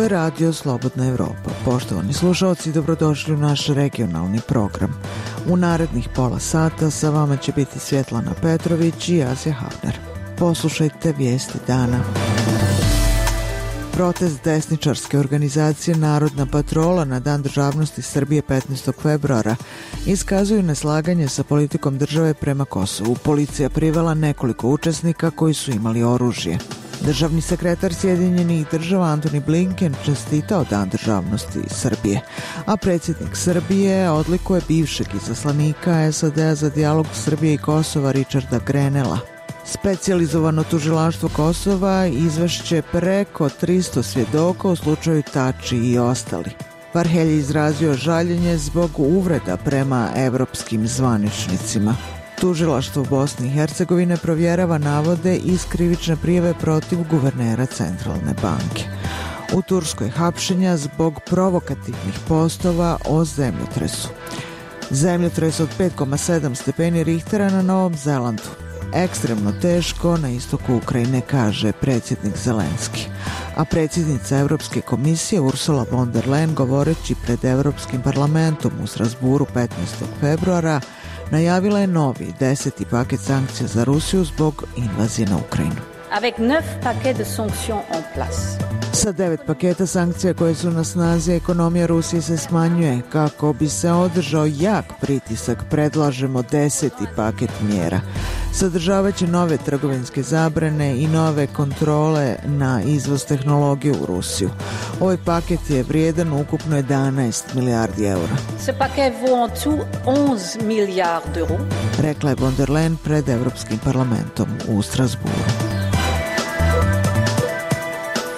je Radio Slobodna Evropa. Poštovani slušalci, dobrodošli u naš regionalni program. U narednih pola sata sa vama će biti Svjetlana Petrović i Azija Hafner. Poslušajte vijesti dana. Protest desničarske organizacije Narodna patrola na Dan državnosti Srbije 15. februara iskazuju neslaganje sa politikom države prema Kosovu. Policija privela nekoliko učesnika koji su imali oružje. Državni sekretar Sjedinjenih država Antony Blinken čestitao Dan državnosti Srbije, a predsjednik Srbije odlikuje bivšeg izaslanika SAD-a za dijalog Srbije i Kosova Richarda Grenella. Specijalizovano tužilaštvo Kosova izvešće preko 300 svjedoka u slučaju Tači i ostali. Varhelj je izrazio žaljenje zbog uvreda prema evropskim zvaničnicima. Tužilaštvo Bosne i Hercegovine provjerava navode iz krivične prijave protiv guvernera Centralne banke. U Turskoj hapšenja zbog provokativnih postova o zemljotresu. Zemljotres od 5,7 stepeni Richtera na Novom Zelandu. Ekstremno teško na istoku Ukrajine, kaže predsjednik Zelenski. A predsjednica Europske komisije Ursula von der Leyen, govoreći pred Europskim parlamentom u Strasburu 15. februara, najavila je novi 10. paket sankcija za Rusiju zbog invazije na Ukrajinu. Avec 9 paquets de sanctions en place. Sa 9 paketa sankcija koje su na snazi, ekonomija Rusije se smanjuje. Kako bi se održao jak pritisak, predlažemo 10. paket mjera. Sadržavaće nove trgovinske zabrane i nove kontrole na izvoz tehnologije u Rusiju. Ovaj paket je vrijedan ukupno 11 milijardi eura. Ce paquet vaut en tout 11 milliards d'euros. Rekla je von der Leyen pred Europskim parlamentom u Strasburu.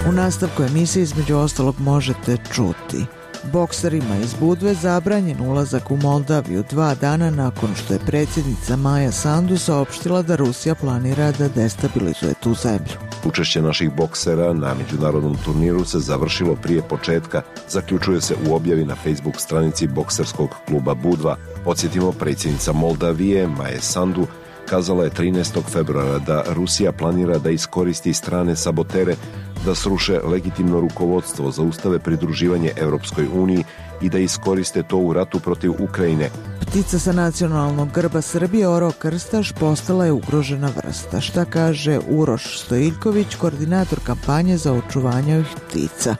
U nastavku emisije između ostalog možete čuti: bokserima iz Budve zabranjen ulazak u Moldaviju 2 dana nakon što je predsjednica Maja Sandu saopštila da Rusija planira da destabilizuje tu zemlju. Učešće naših boksera na međunarodnom turniru se završilo prije početka, zaključuje se u objavi na Facebook stranici bokserskog kluba Budva. Podsjetimo, predsjednica Moldavije Maja Sandu kazala je 13. februara da Rusija planira da iskoristi strane sabotere da sruše legitimno rukovodstvo, zaustave pridruživanje Europskoj uniji i da iskoriste to u ratu protiv Ukrajine. Ptica sa nacionalnog grba Srbije, orao krstaš, postala je ugrožena vrsta. Šta kaže Uroš Stojiljković, koordinator kampanje za očuvanje ovih ptica?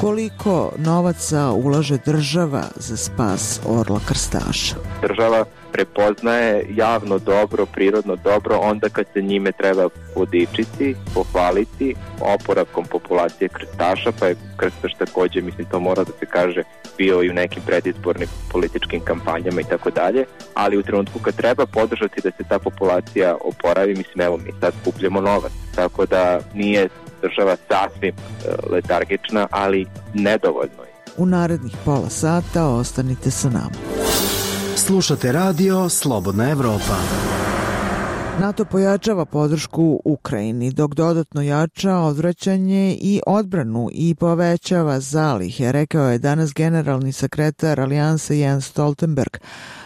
Koliko novaca ulaže država za spas orla krstaša? Država prepoznaje javno dobro, prirodno dobro onda kad se njime treba podičiti, pohvaliti oporavkom populacije krstaša, pa je krstaš također, mislim to mora da se kaže, bio i u nekim predizbornim političkim kampanjama i tako dalje, ali u trenutku kad treba podržati da se ta populacija oporavi, mislim evo mi sad skupljamo novac, tako da nije država sasvim letargična, ali nedovoljno je. U narednih pola sata ostanite sa nama. Slušate radio Slobodna Evropa. NATO pojačava podršku Ukrajini, dok dodatno jača odvraćanje i odbranu i povećava zalihe, rekao je danas generalni sekretar Alijanse Jens Stoltenberg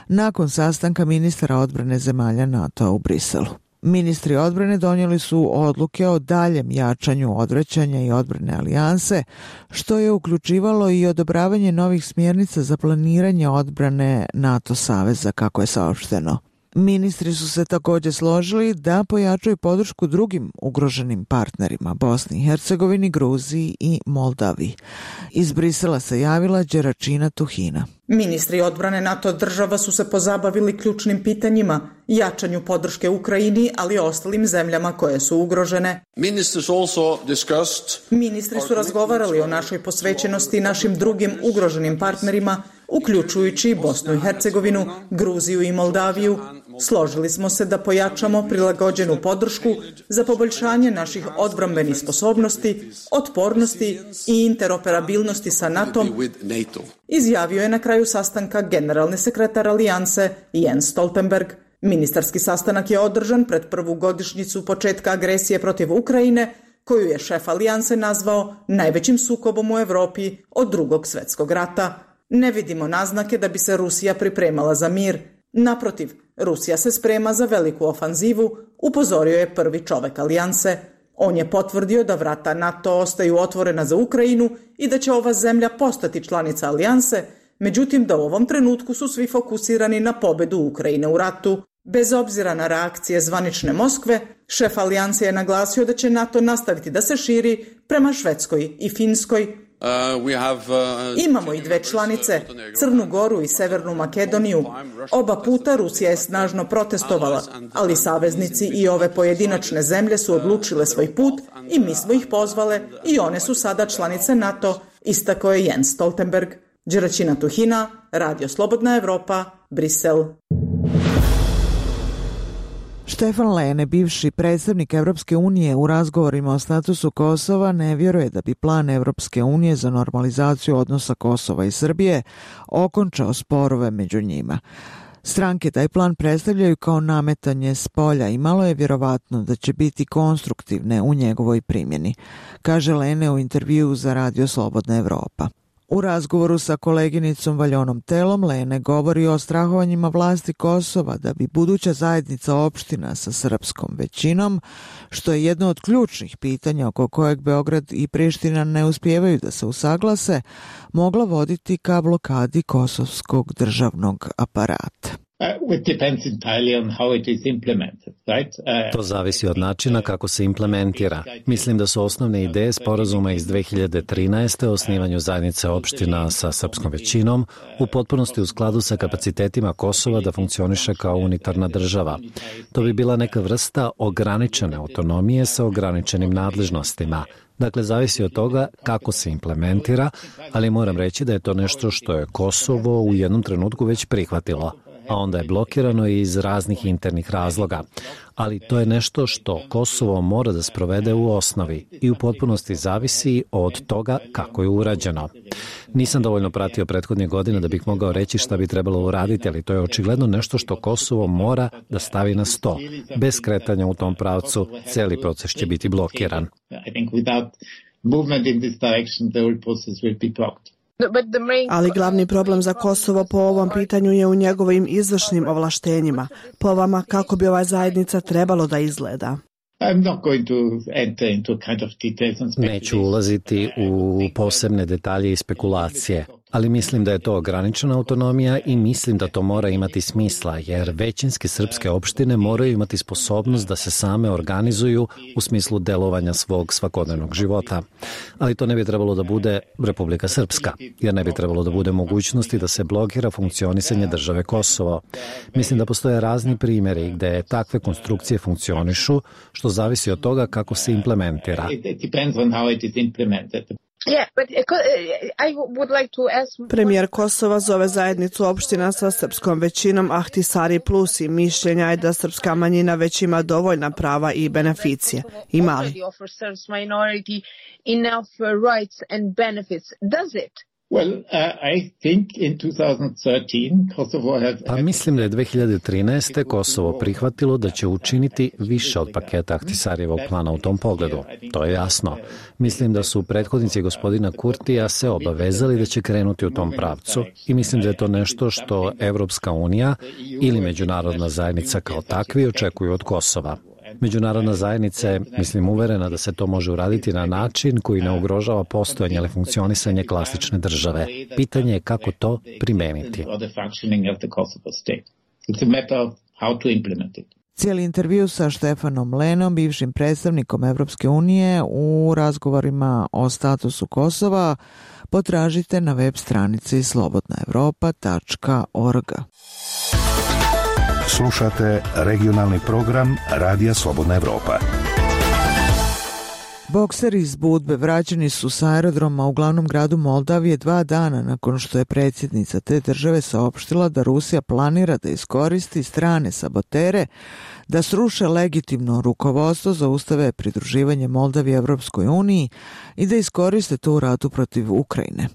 nakon sastanka ministara odbrane zemalja NATO u Briselu. Ministri odbrane donijeli su odluke o daljem jačanju odvraćanja i odbrane alijanse, što je uključivalo i odobravanje novih smjernica za planiranje odbrane NATO saveza, kako je saopšteno. Ministri su se također složili da pojačaju podršku drugim ugroženim partnerima, Bosni i Hercegovini, Gruziji i Moldaviji. Iz Brisela se javila Đeračina Tuhina. Ministri odbrane NATO država su se pozabavili ključnim pitanjima, jačanju podrške Ukrajini, ali i ostalim zemljama koje su ugrožene. Ministri su razgovarali o našoj posvećenosti i našim drugim ugroženim partnerima, uključujući Bosnu i Hercegovinu, Gruziju i Moldaviju. Složili smo se da pojačamo prilagođenu podršku za poboljšanje naših odbrambenih sposobnosti, otpornosti i interoperabilnosti sa NATO-om, izjavio je na kraju sastanka generalni sekretar Alijanse Jens Stoltenberg. Ministarski sastanak je održan pred prvu godišnjicu početka agresije protiv Ukrajine, koju je šef Alijanse nazvao najvećim sukobom u Evropi od Drugog svjetskog rata. Ne vidimo naznake da bi se Rusija pripremala za mir. Naprotiv, Rusija se sprema za veliku ofanzivu, upozorio je prvi čovek Alijanse. On je potvrdio da vrata NATO ostaju otvorena za Ukrajinu i da će ova zemlja postati članica alijanse, međutim da u ovom trenutku su svi fokusirani na pobedu Ukrajine u ratu. Bez obzira na reakcije zvanične Moskve, šef alijanse je naglasio da će NATO nastaviti da se širi prema Švedskoj i Finskoj. Imamo i dve članice, Crnu Goru i Severnu Makedoniju. Oba puta Rusija je snažno protestovala, ali saveznici i ove pojedinačne zemlje su odlučile svoj put i mi smo ih pozvale i one su sada članice NATO, istakao je Jens Stoltenberg. Đeraćina Tuhina, Radio Slobodna Evropa, Brisel. Štefan Lene, bivši predstavnik Evropske unije u razgovorima o statusu Kosova, ne vjeruje da bi plan Evropske unije za normalizaciju odnosa Kosova i Srbije okončao sporove među njima. Stranke taj plan predstavljaju kao nametanje s polja i malo je vjerovatno da će biti konstruktivne u njegovoj primjeni, kaže Lene u intervjuu za Radio Slobodna Evropa. U razgovoru sa koleginicom Valjonom Telom, Lene govori o strahovanjima vlasti Kosova da bi buduća zajednica opština sa srpskom većinom, što je jedno od ključnih pitanja oko kojeg Beograd i Priština ne uspijevaju da se usaglase, mogla voditi ka blokadi kosovskog državnog aparata. To zavisi od načina kako se implementira. Mislim da su osnovne ideje sporazuma iz 2013. o osnivanju zajednice opština sa srpskom većinom u potpunosti u skladu sa kapacitetima Kosova da funkcioniše kao unitarna država. To bi bila neka vrsta ograničene autonomije sa ograničenim nadležnostima. Dakle, zavisi od toga kako se implementira, ali moram reći da je to nešto što je Kosovo u jednom trenutku već prihvatilo, a onda je blokirano iz raznih internih razloga. Ali to je nešto što Kosovo mora da sprovede u osnovi i u potpunosti zavisi od toga kako je urađeno. Nisam dovoljno pratio prethodnih godina da bih mogao reći šta bi trebalo uraditi, ali to je očigledno nešto što Kosovo mora da stavi na sto. Bez kretanja u tom pravcu, cijeli proces će biti blokiran. Ali glavni problem za Kosovo po ovom pitanju je u njegovim izvršnim ovlaštenjima. Po vama, kako bi ova zajednica trebalo da izgleda? Neću ulaziti u posebne detalje i spekulacije, ali mislim da je to ograničena autonomija i mislim da to mora imati smisla, jer većinske srpske opštine moraju imati sposobnost da se same organizuju u smislu delovanja svog svakodnevnog života. Ali to ne bi trebalo da bude Republika Srpska, jer ne bi trebalo da bude mogućnosti da se blokira funkcionisanje države Kosovo. Mislim da postoje razni primjeri gde takve konstrukcije funkcionišu, što zavisi od toga kako se implementira. Premijer Kosova zove zajednicu opština sa srpskom većinom Ahtisari Plus i mišljenja je da srpska manjina već ima dovoljna prava i beneficije. Ima li? Pa mislim da je 2013. Kosovo prihvatilo da će učiniti više od paketa Ahtisarijevog plana u tom pogledu. To je jasno. Mislim da su prethodnici gospodina Kurtija se obavezali da će krenuti u tom pravcu i mislim da je to nešto što Evropska unija ili međunarodna zajednica kao takvi očekuju od Kosova. Međunarodna zajednica je, mislim, uverena da se to može uraditi na način koji ne ugrožava postojanje ili funkcionisanje klasične države. Pitanje je kako to primeniti. Cijeli intervju sa Štefanom Lenom, bivšim predstavnikom Evropske unije u razgovorima o statusu Kosova, potražite na web stranici slobodnaevropa.org. Slušate regionalni program Radija Slobodna Evropa. Bokseri iz Budve vraćeni su sa aerodroma u glavnom gradu Moldavije 2 dana nakon što je predsjednica te države saopštila da Rusija planira da iskoristi strane sabotere da sruše legitimno rukovodstvo, zaustave pridruživanje Moldavije Evropskoj uniji i da iskoriste to u ratu protiv Ukrajine.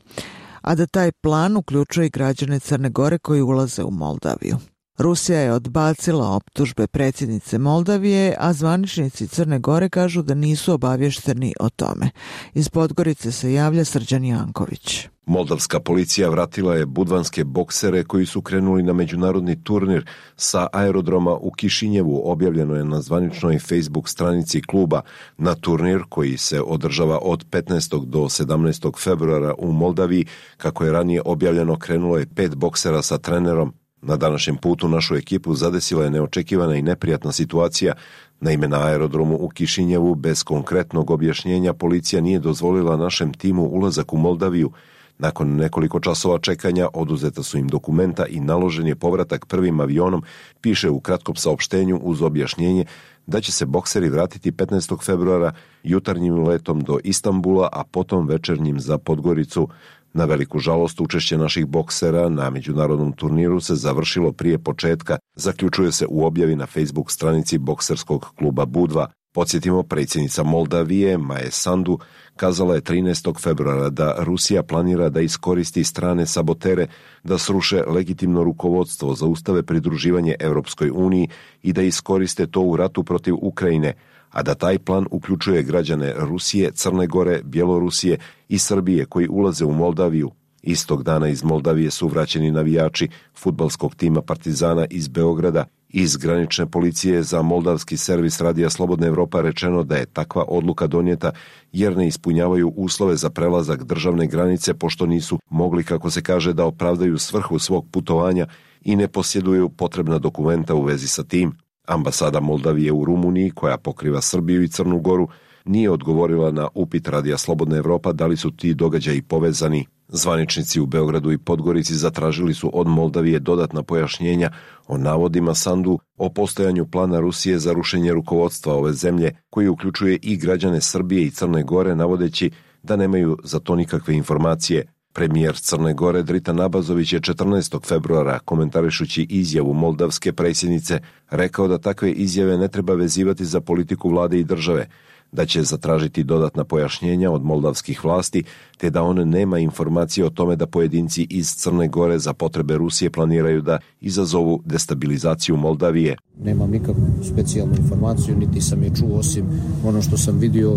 A da taj plan uključuje i građane Crne Gore koji ulaze u Moldaviju. Rusija je odbacila optužbe predsjednice Moldavije, a zvaničnici Crne Gore kažu da nisu obavješteni o tome. Iz Podgorice se javlja Srđan Janković. Moldavska policija vratila je budvanske boksere koji su krenuli na međunarodni turnir sa aerodroma u Kišinjevu, objavljeno je na zvaničnoj Facebook stranici kluba. Na turnir koji se održava od 15. do 17. februara u Moldaviji, kako je ranije objavljeno, krenulo je 5 boksera sa trenerom. Na današnjem putu našu ekipu zadesila je neočekivana i neprijatna situacija. Naime, na aerodromu u Kišinjevu bez konkretnog objašnjenja policija nije dozvolila našem timu ulazak u Moldaviju. Nakon nekoliko časova čekanja oduzeta su im dokumenta i naložen je povratak prvim avionom, piše u kratkom saopštenju uz objašnjenje da će se bokseri vratiti 15. februara jutarnjim letom do Istanbula, a potom večernjim za Podgoricu. Na veliku žalost, učešće naših boksera na međunarodnom turniru se završilo prije početka, zaključuje se u objavi na Facebook stranici bokserskog kluba Budva. Podsjetimo, predsjednica Moldavije Maje Sandu kazala je 13. februara da Rusija planira da iskoristi strane sabotere, da sruše legitimno rukovodstvo, zaustave pridruživanje Europskoj uniji i da iskoriste to u ratu protiv Ukrajine, a da taj plan uključuje građane Rusije, Crne Gore, Bjelorusije i Srbije koji ulaze u Moldaviju. Istog dana iz Moldavije su vraćeni navijači fudbalskog tima Partizana iz Beograda. Iz granične policije za moldavski servis Radija Slobodna Evropa rečeno da je takva odluka donijeta jer ne ispunjavaju uslove za prelazak državne granice, pošto nisu mogli, kako se kaže, da opravdaju svrhu svog putovanja i ne posjeduju potrebna dokumenta u vezi sa tim. Ambasada Moldavije u Rumuniji, koja pokriva Srbiju i Crnu Goru, nije odgovorila na upit Radija Slobodna Evropa da li su ti događaji povezani. Zvaničnici u Beogradu i Podgorici zatražili su od Moldavije dodatna pojašnjenja o navodima Sandu o postojanju plana Rusije za rušenje rukovodstva ove zemlje, koji uključuje i građane Srbije i Crne Gore, navodeći da nemaju za to nikakve informacije. Premijer Crne Gore Dritan Abazović je 14. februara, komentarišući izjavu moldavske predsjednice, rekao da takve izjave ne treba vezivati za politiku vlade i države, da će zatražiti dodatna pojašnjenja od moldavskih vlasti, te da on nema informacije o tome da pojedinci iz Crne Gore za potrebe Rusije planiraju da izazovu destabilizaciju Moldavije. Nemam nikakvu specijalnu informaciju, niti sam je čuo osim ono što sam vidio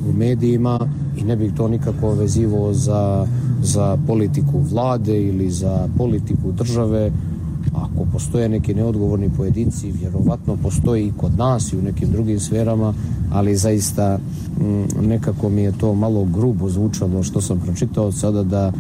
u medijima i ne bih to nikako vezivao za politiku vlade ili za politiku države. Ako postoje neki neodgovorni pojedinci, vjerovatno postoji i kod nas i u nekim drugim sferama, ali zaista nekako mi je to malo grubo zvučalo što sam pročitao sada,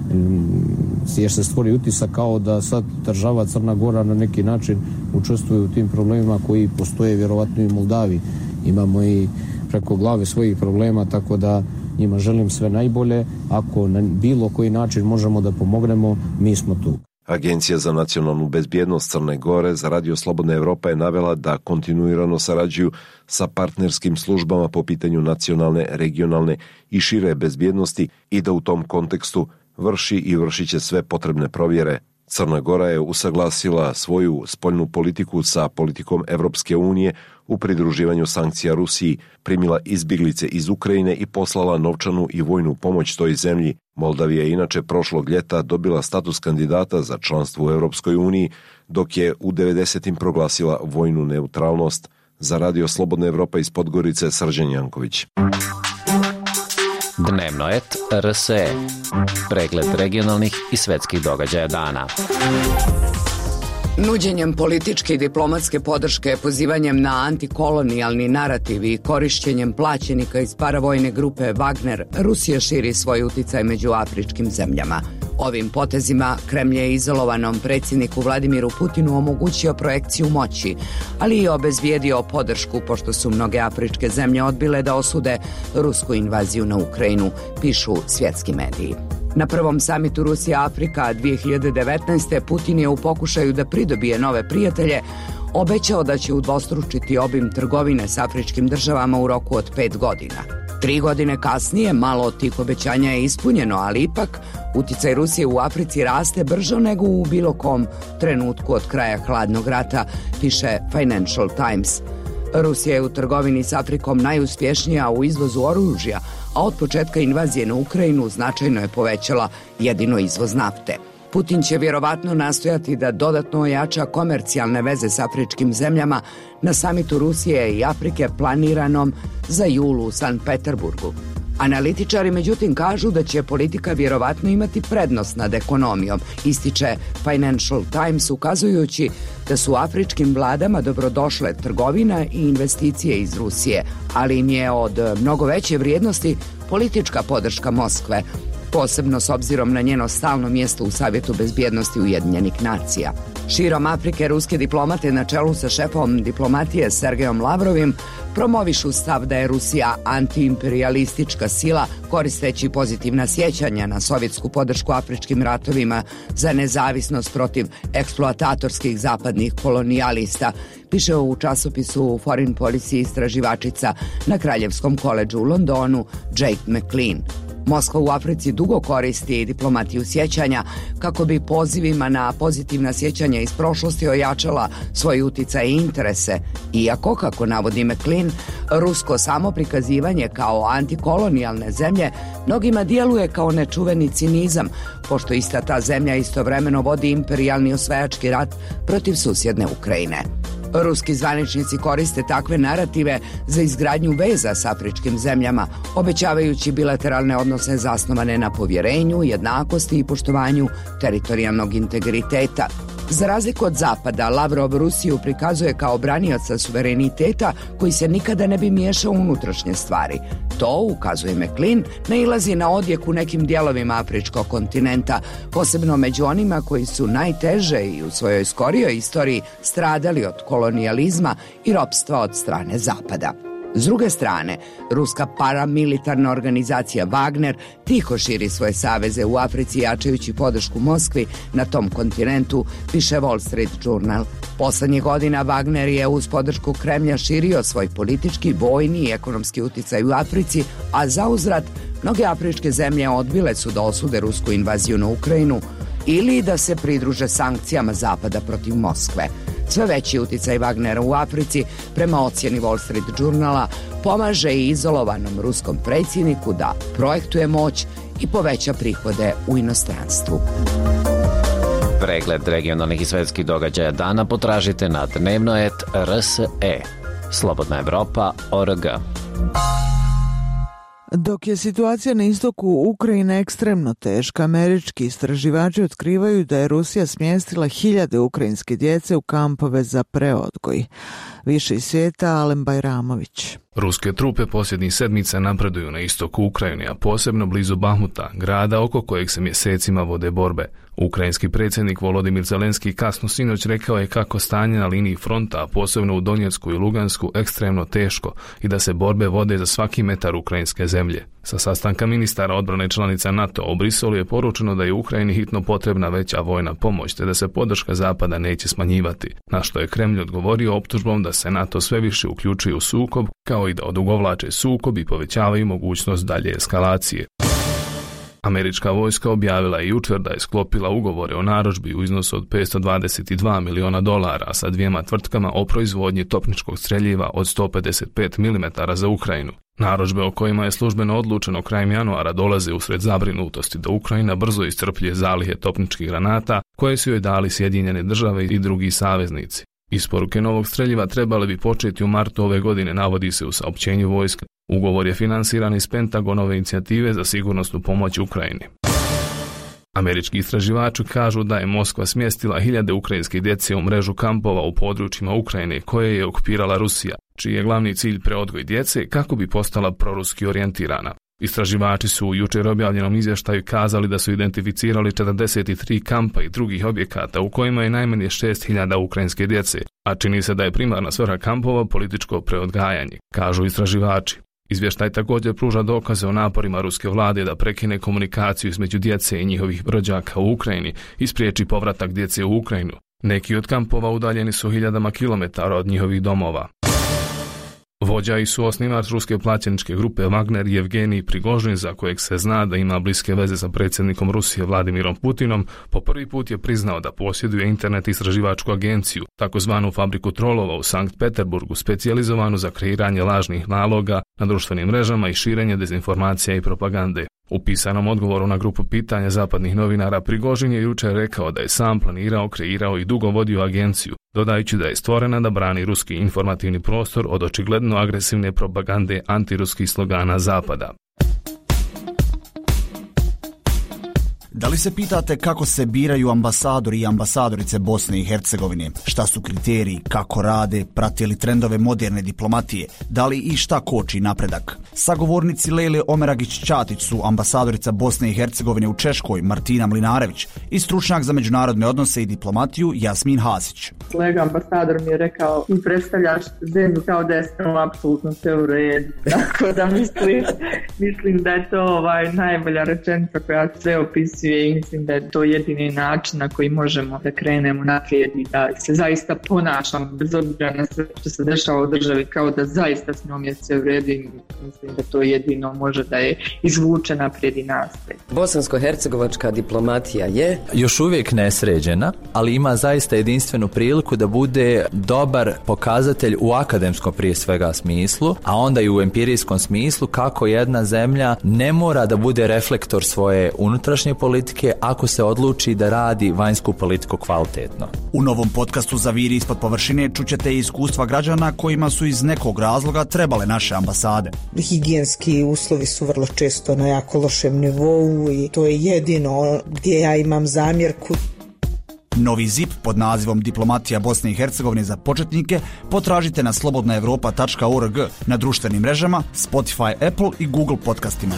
jer se stvori utisak kao da sad država Crna Gora na neki način učestvuje u tim problemima koji postoje vjerovatno i u Moldaviji. Imamo i preko glave svojih problema, tako da njima želim sve najbolje. Ako na bilo koji način možemo da pomognemo, mi smo tu. Agencija za nacionalnu bezbjednost Crne Gore za Radio Slobodna Evropa je navela da kontinuirano sarađuju sa partnerskim službama po pitanju nacionalne, regionalne i šire bezbjednosti i da u tom kontekstu vrši i vršit će sve potrebne provjere. Crna Gora je usaglasila svoju spoljnu politiku sa politikom Evropske unije u pridruživanju sankcija Rusiji, primila izbjeglice iz Ukrajine i poslala novčanu i vojnu pomoć toj zemlji. Moldavija je inače prošlog ljeta dobila status kandidata za članstvo u Europskoj uniji, dok je u 90. proglasila vojnu neutralnost. Za Radio Slobodna Evropa iz Podgorice, Srđan Janković. Dnevno et RSE. Pregled regionalnih i svetskih događaja dana. Nuđenjem političke i diplomatske podrške, pozivanjem na antikolonijalni narativ i korišćenjem plaćenika iz paravojne grupe Wagner, Rusija širi svoj uticaj među afričkim zemljama. Ovim potezima Kremlj je izolovanom predsjedniku Vladimiru Putinu omogućio projekciju moći, ali i obezbijedio podršku pošto su mnoge afričke zemlje odbile da osude rusku invaziju na Ukrajinu, pišu svjetski mediji. Na prvom samitu Rusija-Afrika 2019. Putin je u pokušaju da pridobije nove prijatelje obećao da će udvostručiti obim trgovine s afričkim državama u roku od 5 godina. 3 godine kasnije malo od tih obećanja je ispunjeno, ali ipak uticaj Rusije u Africi raste brže nego u bilo kom trenutku od kraja hladnog rata, piše Financial Times. Rusija je u trgovini s Afrikom najuspješnija u izvozu oružja, a od početka invazije na Ukrajinu značajno je povećala jedino izvoz nafte. Putin će vjerovatno nastojati da dodatno ojača komercijalne veze s afričkim zemljama na samitu Rusije i Afrike planiranom za jul u Sankt Peterburgu. Analitičari međutim kažu da će politika vjerovatno imati prednost nad ekonomijom, ističe Financial Times, ukazujući da su afričkim vladama dobrodošle trgovina i investicije iz Rusije, ali im je od mnogo veće vrijednosti politička podrška Moskve, posebno s obzirom na njeno stalno mjesto u Savjetu bezbjednosti Ujedinjenih nacija. Širom Afrike ruske diplomate na čelu sa šefom diplomatije Sergejom Lavrovim promovišu stav da je Rusija antiimperijalistička sila, koristeći pozitivna sjećanja na sovjetsku podršku afričkim ratovima za nezavisnost protiv eksploatatorskih zapadnih kolonijalista, piše u časopisu Foreign Policy istraživačica na Kraljevskom koledžu u Londonu Jake McLean. Moskva u Africi dugo koristi diplomatiju sjećanja kako bi pozivima na pozitivna sjećanja iz prošlosti ojačala svoj uticaj i interese, iako, kako navodi McLean, rusko samoprikazivanje kao antikolonijalne zemlje mnogima djeluje kao nečuveni cinizam, pošto ista ta zemlja istovremeno vodi imperijalni osvajački rat protiv susjedne Ukrajine. Ruski zvaničnici koriste takve narative za izgradnju veza s afričkim zemljama, obećavajući bilateralne odnose zasnovane na povjerenju, jednakosti i poštovanju teritorijalnog integriteta. Za razliku od Zapada, Lavrov Rusiju prikazuje kao branioca suvereniteta koji se nikada ne bi miješao u unutrašnje stvari. To, ukazuje McLean, nailazi na odjek u nekim dijelovima afričkog kontinenta, posebno među onima koji su najteže i u svojoj skorijoj istoriji stradali od kolonijalizma i ropstva od strane Zapada. S druge strane, ruska paramilitarna organizacija Wagner tiho širi svoje saveze u Africi, jačajući podršku Moskvi na tom kontinentu, piše Wall Street Journal. Poslednjih godina Wagner je uz podršku Kremlja širio svoj politički, vojni i ekonomski uticaj u Africi, a zauzvrat mnoge afričke zemlje odbile su da osude rusku invaziju na Ukrajinu ili da se pridruže sankcijama Zapada protiv Moskve. Sve veći uticaj Wagnera u Africi, prema ocjeni Wall Street Journala, pomaže i izolovanom ruskom predsjedniku da projektuje moć i poveća prihode u inostranstvu. Pregled regionalnih i svetskih događaja dana potražite na dnevnoet.rse. Slobodna Evropa.org. Dok je situacija na istoku Ukrajine ekstremno teška, američki istraživači otkrivaju da je Rusija smjestila 1000 ukrajinske djece u kampove za preodgoj. Više iz svijeta, Alen Bajramović. Ruske trupe posljednjih sedmica napreduju na istoku Ukrajine, a posebno blizu Bahmuta, grada oko kojeg se mjesecima vode borbe. Ukrajinski predsjednik Volodimir Zelenski kasno sinoć rekao je kako stanje na liniji fronta, a posebno u Donjecku i Lugansku, ekstremno teško i da se borbe vode za svaki metar ukrajinske zemlje. Sa sastanka ministara odbrane članica NATO u Briselu je poručeno da je Ukrajini hitno potrebna veća vojna pomoć, te da se podrška Zapada neće smanjivati, na što je Kremlj odgovorio optužbom da se NATO sve više uključuje u sukob, kao i da odugovlače sukob i povećavaju mogućnost dalje eskalacije. Američka vojska objavila je jučer da je sklopila ugovore o narudžbi u iznosu od $522 miliona sa 2 tvrtkama o proizvodnji topničkog streljiva od 155 mm za Ukrajinu. Narudžbe o kojima je službeno odlučeno krajem januara dolaze usred zabrinutosti da Ukrajina brzo iscrpljuje zalihe topničkih granata koje su joj dali Sjedinjene države i drugi saveznici. Isporuke novog streljiva trebale bi početi u martu ove godine, navodi se u saopćenju vojske. Ugovor je finansiran iz Pentagonove inicijative za sigurnosnu pomoć Ukrajini. Američki istraživači kažu da je Moskva smjestila 1000 ukrajinske djece u mrežu kampova u područjima Ukrajine koje je okupirala Rusija, čiji je glavni cilj preodgoj djece kako bi postala proruski orijentirana. Istraživači su u jučer objavljenom izvještaju kazali da su identificirali 43 kampa i drugih objekata u kojima je najmanje 6000 ukrajinske djece, a čini se da je primarna svrha kampova političko preodgajanje, kažu istraživači. Izvještaj također pruža dokaze o naporima ruske vlade da prekine komunikaciju između djece i njihovih rođaka u Ukrajini i spriječi povratak djece u Ukrajinu. Neki od kampova udaljeni su 1000 kilometara od njihovih domova. Vođa i suosnivač ruske plaćeničke grupe Wagner Yevgenij Prigožin, za kojeg se zna da ima bliske veze sa predsjednikom Rusije Vladimirom Putinom, po prvi put je priznao da posjeduje internet istraživačku agenciju, takozvanu fabriku trolova u Sankt Peterburgu, specijalizovanu za kreiranje lažnih naloga na društvenim mrežama i širenje dezinformacija i propagande. U pisanom odgovoru na grupu pitanja zapadnih novinara Prigožin je jučer rekao da je sam planirao, kreirao i dugo vodio agenciju, dodajući da je stvorena da brani ruski informativni prostor od očigledno agresivne propagande antiruskih slogana Zapada. Da li se pitate kako se biraju ambasadori i ambasadorice Bosne i Hercegovine? Šta su kriteriji, kako rade, prate li trendove moderne diplomatije? Da li i šta koči napredak? Sagovornici Lejle Omeragić-Ćatić su ambasadorica Bosne i Hercegovine u Češkoj Martina Mlinarević i stručnjak za međunarodne odnose i diplomatiju Jasmin Hasić. Kolega ambasador mi je rekao, ti predstavljaš zemlju kao da je samo apsolutno sve u redu. Tako da mislim da je to najbolja rečenica koja sve opisuje i mislim da je to jedini način na koji možemo da krenemo naprijed i da se zaista ponašamo bez obzira na sve što se dešava u državi kao da zaista s njom je sve u redu i mislim da to jedino može da je izvuče naprijed i nastaje. Bosansko-hercegovačka diplomatija je još uvijek nesređena, ali ima zaista jedinstvenu priliku da bude dobar pokazatelj u akademskom prije svega smislu, a onda i u empirijskom smislu kako jedna zemlja ne mora da bude reflektor svoje unutrašnje politike ako se odluči da radi vanjsku politiku kvalitetno. U novom podcastu Zaviri ispod površine čućete iskustva građana kojima su iz nekog razloga trebale naše ambasade. Higijenski uslovi su vrlo često na jako lošem nivou i to je jedino gdje ja imam zamjerku. Novi ZIP pod nazivom Diplomatija Bosne i Hercegovine za početnike potražite na slobodnaevropa.org, na društvenim mrežama, Spotify, Apple i Google podcastima.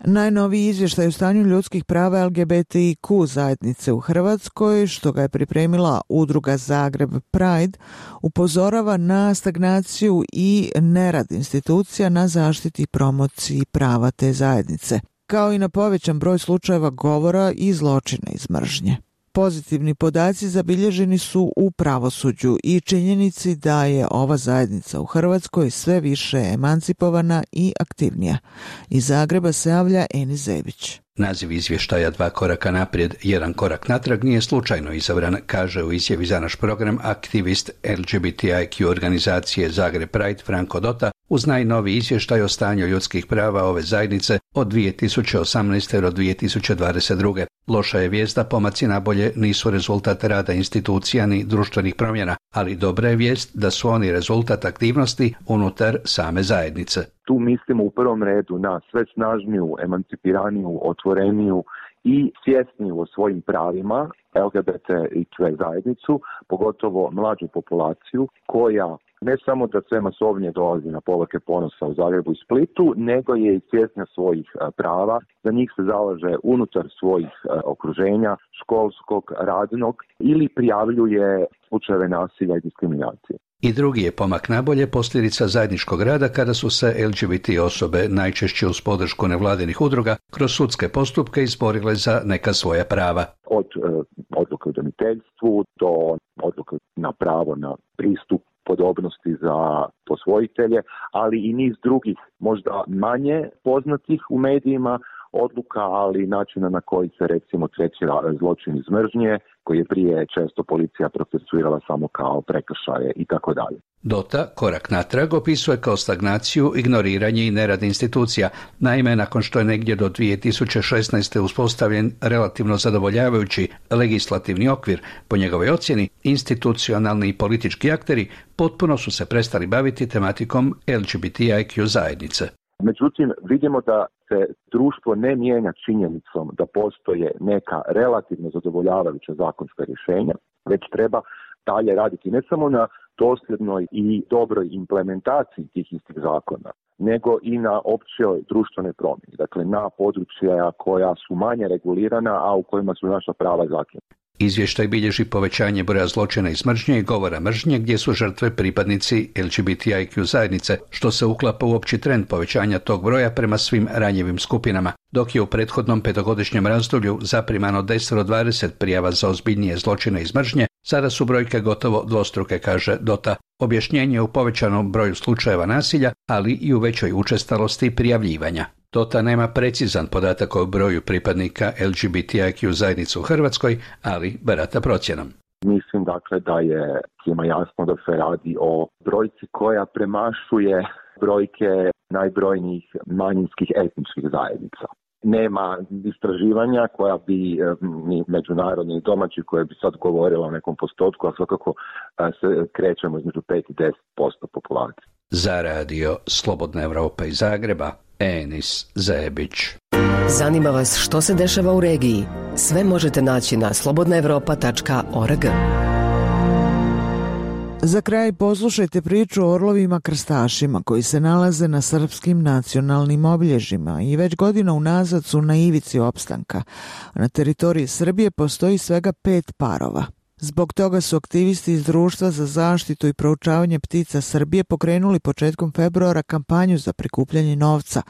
Najnoviji izvještaj o stanju ljudskih prava LGBTIQ zajednice u Hrvatskoj, što ga je pripremila udruga Zagreb Pride, upozorava na stagnaciju i nerad institucija na zaštiti i promociji prava te zajednice, kao i na povećan broj slučajeva govora i zločina iz mržnje. Pozitivni podaci zabilježeni su u pravosuđu i činjenici da je ova zajednica u Hrvatskoj sve više emancipovana i aktivnija. Iz Zagreba se javlja Eni Zebić. Naziv izvještaja 2 koraka naprijed, 1 korak natrag nije slučajno izabran, kaže u izjavi za naš program aktivist LGBTIQ organizacije Zagreb Pride Franko Dota uz najnoviji izvještaj o stanju ljudskih prava ove zajednice od 2018. do 2022. Loša je vijest da pomaci nabolje nisu rezultat rada institucija ni društvenih promjena, ali dobra je vijest da su oni rezultat aktivnosti unutar same zajednice. Tu mislimo u prvom redu na sve snažniju, emancipiraniju, otvoreniju i svjesniju o svojim pravima LGBTIQ zajednicu, pogotovo mlađu populaciju koja ne samo da sve masovnije dolazi na povorke ponosa u Zagrebu i Splitu, nego je i svjesna svojih prava. Za njih se zalaže unutar svojih okruženja, školskog, radnog ili prijavljuje slučajeve nasilja i diskriminacije. I drugi je pomak nabolje posljedica zajedničkog rada kada su se LGBT osobe, najčešće uz podršku nevladinih udruga, kroz sudske postupke izborile za neka svoja prava. Od odluke o udomiteljstvu do odluke na pravo na pristup podobnosti za posvojitelje, ali i niz drugih možda manje poznatih u medijima odluka, ali načina na koji se recimo tretira zločin iz mržnje, koji je prije često policija procesuirala samo kao prekršaje i tako dalje. Dota korak natrag opisuje kao stagnaciju, ignoriranje i nerad institucija. Naime, nakon što je negdje do 2016. uspostavljen relativno zadovoljavajući legislativni okvir, po njegovoj ocjeni, institucionalni i politički akteri potpuno su se prestali baviti tematikom LGBTIQ zajednice. Međutim, vidimo da se društvo ne mijenja činjenicom da postoje neka relativno zadovoljavajuća zakonska rješenja, već treba dalje raditi ne samo na dosljednoj i dobroj implementaciji tih istih zakona, nego i na općoj društvenoj promjeni, dakle na područja koja su manje regulirana, a u kojima su naša prava zakinuta. Izvještaj bilježi povećanje broja zločina iz mržnje i govora mržnje gdje su žrtve pripadnici LGBTIQ zajednice, što se uklapa u opći trend povećanja tog broja prema svim ranjivim skupinama. Dok je u prethodnom 5-godišnjem razdoblju zaprimano 10 do 20 prijava za ozbiljnije zločine iz mržnje, sada su brojke gotovo dvostruke, kaže Dota. Objašnjenje je u povećanom broju slučajeva nasilja, ali i u većoj učestalosti prijavljivanja. Dota nema precizan podatak o broju pripadnika LGBTIQ zajednice u Hrvatskoj, ali barata procjenom. Mislim dakle da je svima jasno da se radi o brojci koja premašuje brojke najbrojnijih manjinskih etničkih zajednica. Nema istraživanja koja bi, ni međunarodni ni domaći, koje bi sad govorila o nekom postotku, a svakako se krećemo između 5 i 10% populacije. Za radio Slobodna Evropa iz Zagreba, Enis Zebić. Zanima vas što se dešava u regiji? Sve možete naći na slobodnaevropa.org. Za kraj poslušajte priču o orlovima krstašima koji se nalaze na srpskim nacionalnim obilježjima i već godina unazad su na ivici opstanka. Na teritoriji Srbije postoji svega 5 parova. Zbog toga su aktivisti iz Društva za zaštitu i proučavanje ptica Srbije pokrenuli početkom februara kampanju za prikupljanje novca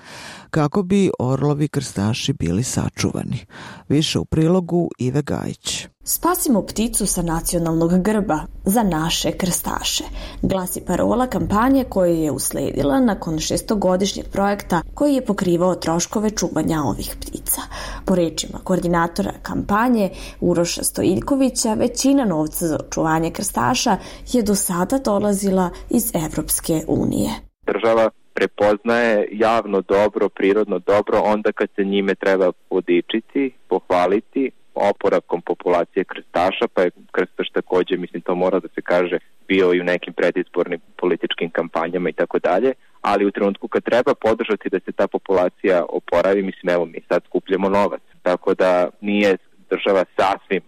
kako bi orlovi krstaši bili sačuvani. Više u prilogu Ive Gajić. Spasimo pticu sa nacionalnog grba za naše krstaše, glasi parola kampanje koja je usledila nakon 6-godišnjeg projekta koji je pokrivao troškove čuvanja ovih ptica. Po rečima koordinatora kampanje Uroša Stojiljkovića, većina novca za očuvanje krstaša je do sada dolazila iz Evropske unije. Država prepoznaje javno dobro, prirodno dobro onda kad se njime treba podičiti, pohvaliti oporavkom populacije krstaša, pa je krstaš također, mislim to mora da se kaže, bio i u nekim predizbornim političkim kampanjama i tako dalje, ali u trenutku kad treba podržati da se ta populacija oporavi, mislim evo mi sad skupljamo novac, tako da nije država sasvim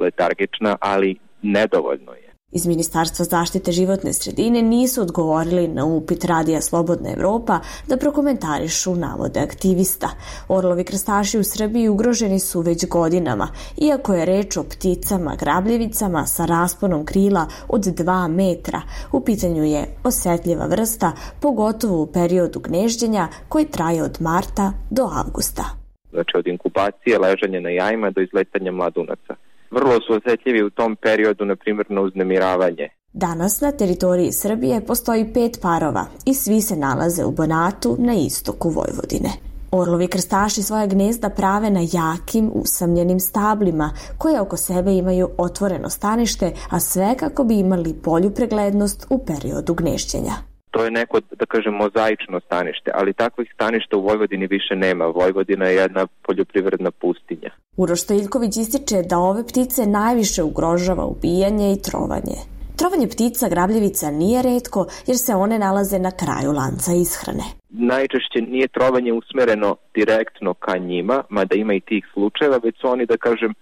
letargična, ali nedovoljno je. Iz Ministarstva zaštite životne sredine nisu odgovorili na upit Radija Slobodna Evropa da prokomentarišu navode aktivista. Orlovi krstaši u Srbiji ugroženi su već godinama, iako je reč o pticama grabljevicama sa rasponom krila od 2 metra. U pitanju je osetljiva vrsta, pogotovo u periodu gnežđenja koji traje od marta do avgusta. Znači od inkubacije, ležanja na jajima do izletanja mladunaca. Vrlo su osjetljivi u tom periodu, na primjer, na uznemiravanje. Danas na teritoriji Srbije postoji 5 parova i svi se nalaze u Banatu na istoku Vojvodine. Orlovi krstaši svoja gnezda prave na jakim, usamljenim stablima koje oko sebe imaju otvoreno stanište, a sve kako bi imali bolju preglednost u periodu gnešćenja. To je neko, da kažem, mozaično stanište, ali takvih staništa u Vojvodini više nema. Vojvodina je jedna poljoprivredna pustinja. Uroš Stojiljković ističe da ove ptice najviše ugrožava ubijanje i trovanje. Trovanje ptica grabljevica nije retko jer se one nalaze na kraju lanca ishrane. Najčešće nije trovanje usmereno direktno ka njima, mada ima i tih slučajeva, već su oni, da kažem,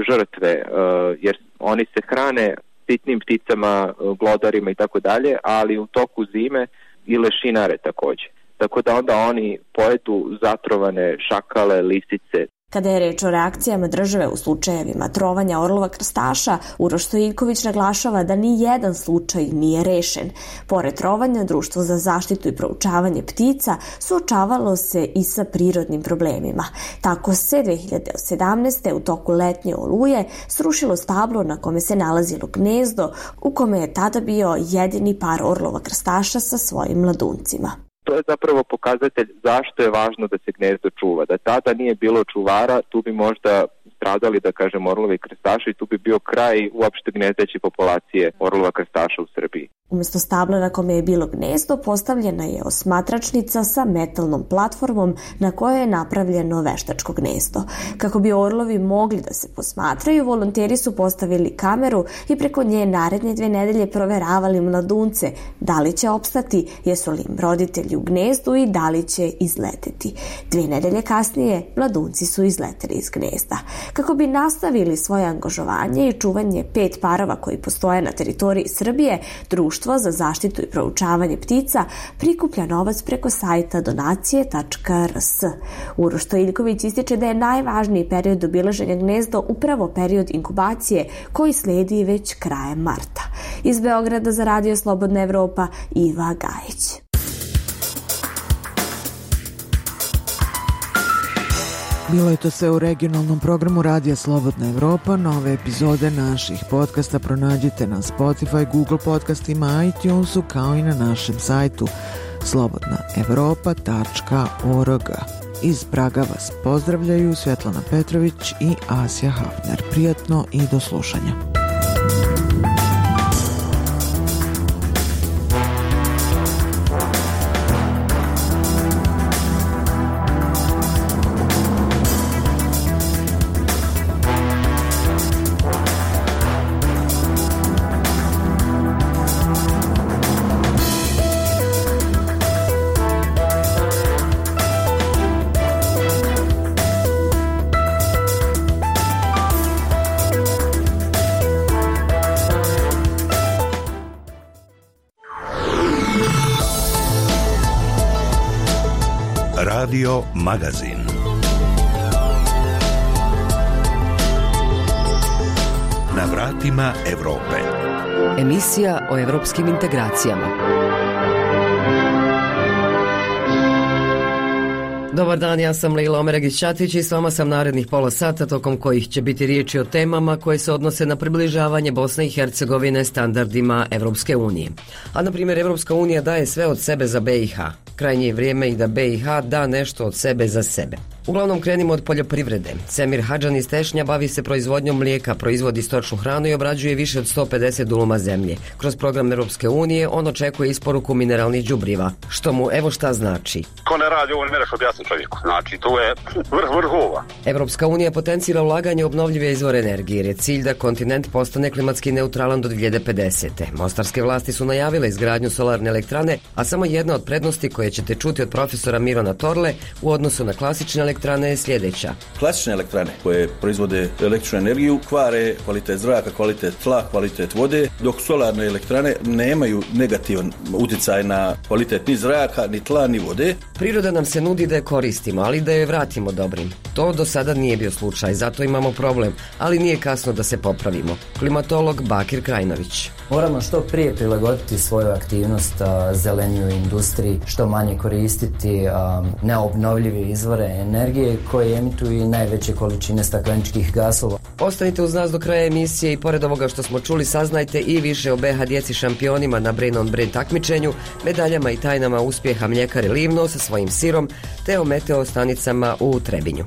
žrtve, jer oni se hrane sitnim pticama, glodarima i tako dalje, ali u toku zime i lešinare također. Tako da onda oni pojedu zatrovane šakale, lisice. Kada je reč o reakcijama države u slučajevima trovanja orlova krstaša, Uroš Stojiljković naglašava da ni jedan slučaj nije rešen. Pored trovanja, Društvo za zaštitu i proučavanje ptica suočavalo se i sa prirodnim problemima. Tako se 2017. u toku letnje oluje srušilo stablo na kome se nalazilo gnezdo, u kome je tada bio jedini par orlova krstaša sa svojim mladuncima. To je zapravo pokazatelj zašto je važno da se gnezdo čuva. Da tada nije bilo čuvara, tu bi možda stradali, da kažem, orlovi krstaši i tu bi bio kraj uopšte gnezdeće populacije orlova krstaša u Srbiji. Umjesto stabla na kome je bilo gnezdo, postavljena je osmatračnica sa metalnom platformom na kojoj je napravljeno veštačko gnezdo. Kako bi orlovi mogli da se posmatraju, volonteri su postavili kameru i preko nje naredne 2 nedelje proveravali mladunce, da li će opstati, jesu li im roditelji u gnezdu i da li će izleteti. 2 nedelje kasnije mladunci su izleteli iz gnezda. Kako bi nastavili svoje angažovanje i čuvanje 5 parova koji postoje na teritoriji Srbije, Društvo za zaštitu i proučavanje ptica prikuplja novac preko sajta donacije.rs. Uroš Stojiljković ističe da je najvažniji period obilaženja gnezda upravo period inkubacije koji sledi već krajem marta. Iz Beograda za Radio Slobodna Evropa, Iva Gajić. Bilo je to sve u regionalnom programu Radija Slobodna Evropa. Nove epizode naših podcasta pronađite na Spotify, Google podcastima, iTunesu, kao i na našem sajtu slobodnaevropa.org. Iz Praga vas pozdravljaju Svetlana Petrović i Asja Hafner. Prijatno i do slušanja. Radio Magazin. Na vratima Evrope. Emisija o evropskim integracijama. Dobar dan, ja sam Leila Omeragić-Ćatić i s vama sam narednih pola sata, tokom kojih će biti riječi o temama koje se odnose na približavanje Bosne i Hercegovine standardima Evropske unije. A na primjer, Evropska unija daje sve od sebe za BiH. Krajnje je vrijeme i da BiH da nešto od sebe za sebe. Uglavnom krenimo od poljoprivrede. Semir Hadžan iz Tešnja bavi se proizvodnjom mlijeka, proizvodi stočnu hranu i obrađuje više od 150 duluma zemlje. Kroz program Europske unije on očekuje isporuku mineralnih đubriva, što mu evo šta znači. Ko ne radi ovo ne mereš objasniti čovjeku. Znači, to je vrhova. Europska unija potencira ulaganje u obnovljive izvore energije jer je cilj da kontinent postane klimatski neutralan do 2050. Mostarske vlasti su najavile izgradnju solarne elektrane, a samo jedna od prednosti koje ćete čuti od profesora Mirona Torle u odnosu na klasične elektrane je sljedeća. Klasične elektrane koje proizvode električnu energiju kvare kvalitet zraka, kvalitet tla, kvalitet vode, dok solarne elektrane nemaju negativan utjecaj na kvalitet ni zraka, ni tla, ni vode. Priroda nam se nudi da je koristimo, ali da je vratimo dobrim. To do sada nije bio slučaj, zato imamo problem, ali nije kasno da se popravimo. Klimatolog Bakir Krajnović. Moramo što prije prilagoditi svoju aktivnost zeleniju industriji, što manje koristiti neobnovljive izvore energije koje emituju i najveće količine stakleničkih gasova. Ostanite uz nas do kraja emisije i pored ovoga što smo čuli saznajte i više o BiH djeci šampionima na Brain on Brain takmičenju, medaljama i tajnama uspjeha mljekare Livno sa svojim sirom, te o meteo stanicama u Trebinju.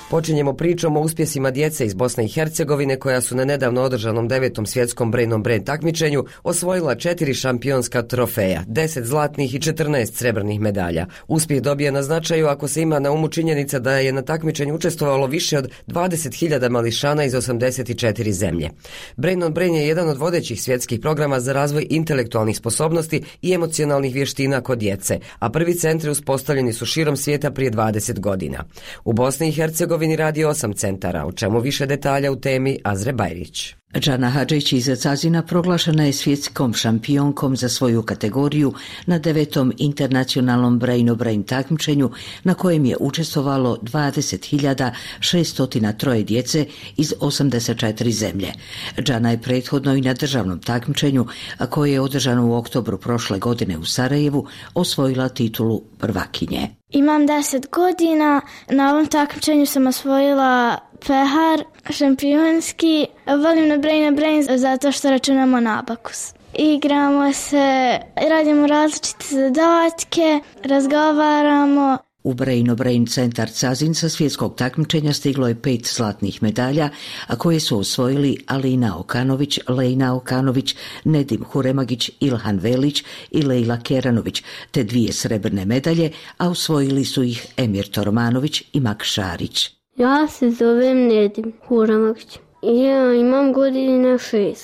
Počinjemo pričom o uspjesima djece iz Bosne i Hercegovine koja su na nedavno održanom 9. svjetskom Brain on Brain takmičenju osvojila 4 šampionska trofeja, 10 zlatnih i 14 srebrnih medalja. Uspjeh dobija na značaju ako se ima na umu činjenica da je na takmičenju učestvovalo više od 20.000 mališana iz 84 zemlje. Brain on Brain je jedan od vodećih svjetskih programa za razvoj intelektualnih sposobnosti i emocionalnih vještina kod djece, a prvi centri uspostavljeni su širom svijeta prije 20 godina. U Bosni i Hercegovini radi 8 centara, o čemu više detalja u temi Azre Bajrić. Džana Hadžić iz Cazina proglašena je svjetskom šampionkom za svoju kategoriju na 9. internacionalnom Brain on Brain takmičenju na kojem je učestvovalo 20.603 djece iz 84 zemlje. Džana je prethodno i na državnom takmičenju, a koje je održano u oktobru prošle godine u Sarajevu, osvojila titulu prvakinje. Imam 10 godina, na ovom takmičenju sam osvojila pehar šampionski. Volim na Brain zato što računamo na abakus. Igramo se, radimo različite zadatke, razgovaramo. U Brain on Brain centar Cazin sa svjetskog takmičenja stiglo je 5 zlatnih medalja, a koje su osvojili Alina Okanović, Lejna Okanović, Nedim Huremagić, Ilhan Velić i Lejla Keranović, te 2 srebrne medalje, a osvojili su ih Emir Tormanović i Mak Šarić. Ja se zovem Nedim Huremagić. Ja imam godine 6.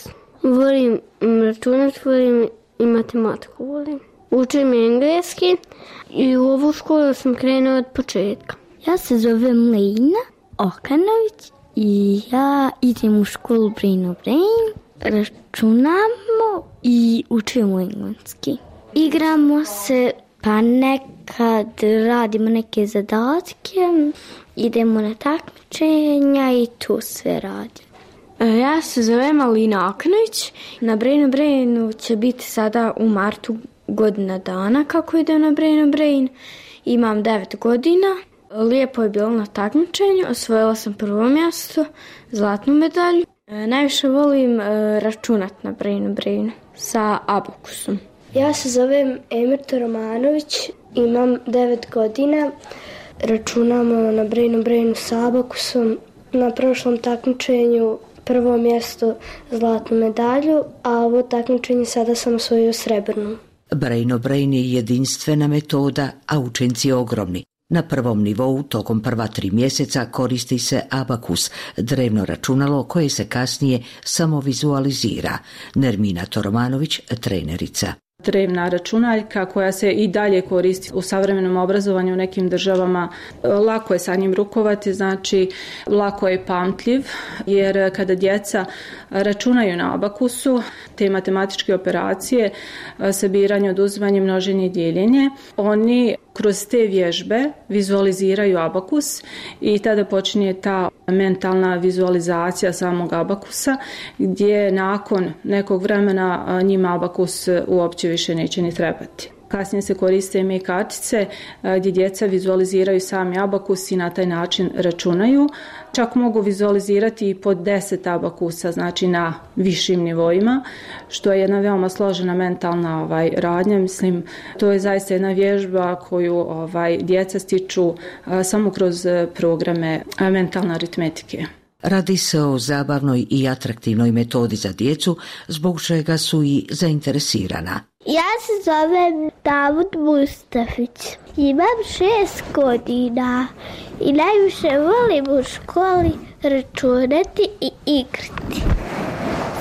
Volim računat, volim i matematiku volim. Učim engleski i u ovu školu sam krenula od početka. Ja se zovem Lejna Okanović i ja idem u školu Brain on Brain. Računamo i učimo engleski. Igramo se, pa nekad radimo neke zadatke, idemo na takmičenja i tu sve radimo. Ja se zovem Alina Okanović. Na Brain on Brainu će biti sada u martu godina dana kako ide na Brain on Brain. Imam 9 godina. Lijepo je bilo na takmičenju. Osvojila sam prvo mjesto, zlatnu medalju. Najviše volim računat na Brain on Brainu sa abakusom. Ja se zovem Emir Tormanović. Imam 9 godina. Računamo na Brain on Brainu sa abakusom. Na prošlom takmičenju prvo mjesto, zlatnu medalju, a ovo takmičenje sada sam osvojio srebrnu. Brain on Brain je jedinstvena metoda, a učenci ogromni. Na prvom nivou tokom prva 3 mjeseca koristi se abakus, drevno računalo koje se kasnije samo vizualizira. Nermina Tormanović, trenerica. drevna računaljka koja se i dalje koristi u savremenom obrazovanju u nekim državama. Lako je sa njim rukovati, znači lako je pamtljiv, jer kada djeca računaju na abakusu, te matematičke operacije, sabiranje, oduzimanje, množenje i dijeljenje, oni kroz te vježbe vizualiziraju abakus i tada počinje ta mentalna vizualizacija samog abakusa, gdje nakon nekog vremena njima abakus uopće više neće ni trebati. Kasnije se koriste i kartice gdje djeca vizualiziraju sami abakus i na taj način računaju. Čak mogu vizualizirati i po 10 abakusa, znači na višim nivoima, što je jedna veoma složena mentalna radnja. Mislim, to je zaista jedna vježba koju djeca stiču samo kroz programe mentalne aritmetike. Radi se o zabavnoj i atraktivnoj metodi za djecu, zbog čega su i zainteresirana. Ja se zovem Davud Mustafić. Imam 6 godina i najviše volim u školi računati i igrati.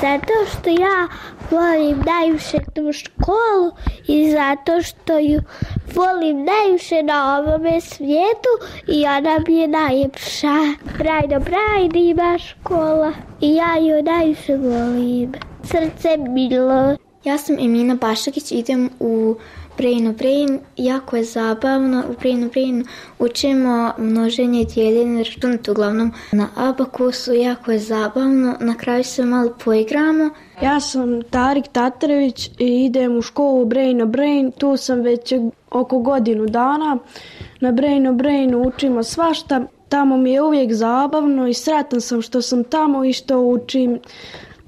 Zato što ja volim najviše tu školu i zato što ju volim najviše na ovome svijetu i ona mi je najljepša. Brajno ima škola i ja ju najviše volim. Srce milo. Ja sam Emina Bašakić, idem u Brain. Jako je zabavno. U Brain učimo množenje, dijeljenje, računati uglavnom na abakusu. Jako je zabavno. Na kraju se malo poigramo. Ja sam Tarik Tatarević i idem u školu Brain. Tu sam već oko godinu dana. Na Brain učimo svašta. Tamo mi je uvijek zabavno i sretan sam što sam tamo i što učim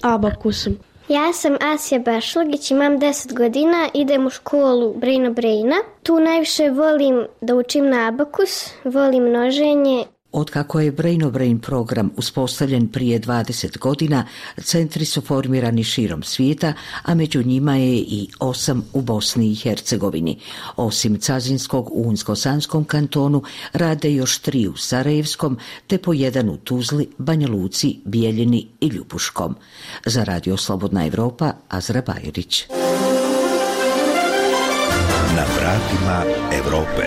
abakusom. Ja sam Asija Bešlagić, imam 10 godina, idem u školu Braina. Tu najviše volim da učim na abakus, volim množenje. Otkako je Brain program uspostavljen prije 20 godina, centri su formirani širom svijeta, a među njima je i 8 u Bosni i Hercegovini. Osim Cazinskog u Unsko-Sanskom kantonu, rade još 3 u Sarajevskom, te po 1 u Tuzli, Banja Luci, Bijeljini i Ljubuškom. Za Radio Slobodna Evropa, Azra Bajerić. Na vratima Evrope.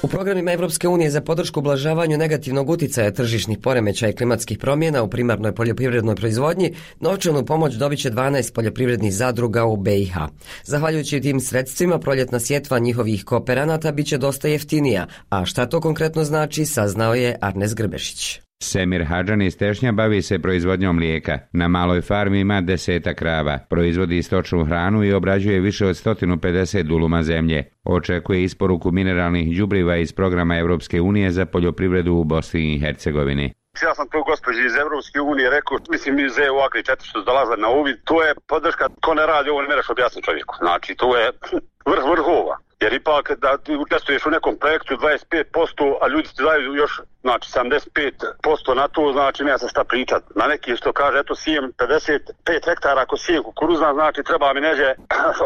U programima Evropske unije za podršku ublažavanju negativnog uticaja tržišnih poremećaja i klimatskih promjena u primarnoj poljoprivrednoj proizvodnji novčanu pomoć dobit će 12 poljoprivrednih zadruga u BiH. Zahvaljujući tim sredstvima, proljetna sjetva njihovih kooperanata bit će dosta jeftinija, a šta to konkretno znači, saznao je Arnes Grbešić. Semir Hadžan iz Tešnja bavi se proizvodnjom mlijeka. Na maloj farmi ima 10 krava, proizvodi stočnu hranu i obrađuje više od 150 duluma zemlje. Očekuje isporuku mineralnih đubriva iz programa Evropske unije za poljoprivredu u Bosni i Hercegovini. Ja sam to gospođi iz Evropske unije rekao, mislim iz EU Agri 4 što dolaze na uvid, to je podrška, ko ne radi ovo ne mereš objasniti čovjeku. Znači to je vrhova. Jer ipak da ti učestvuješ u nekom projektu 25%, a ljudi ti daju još 75% na to, znači nema se šta pričati. Na neki što kaže, eto sijem 55 hektara, ako sijem kukuruzna, znači treba mi neđe,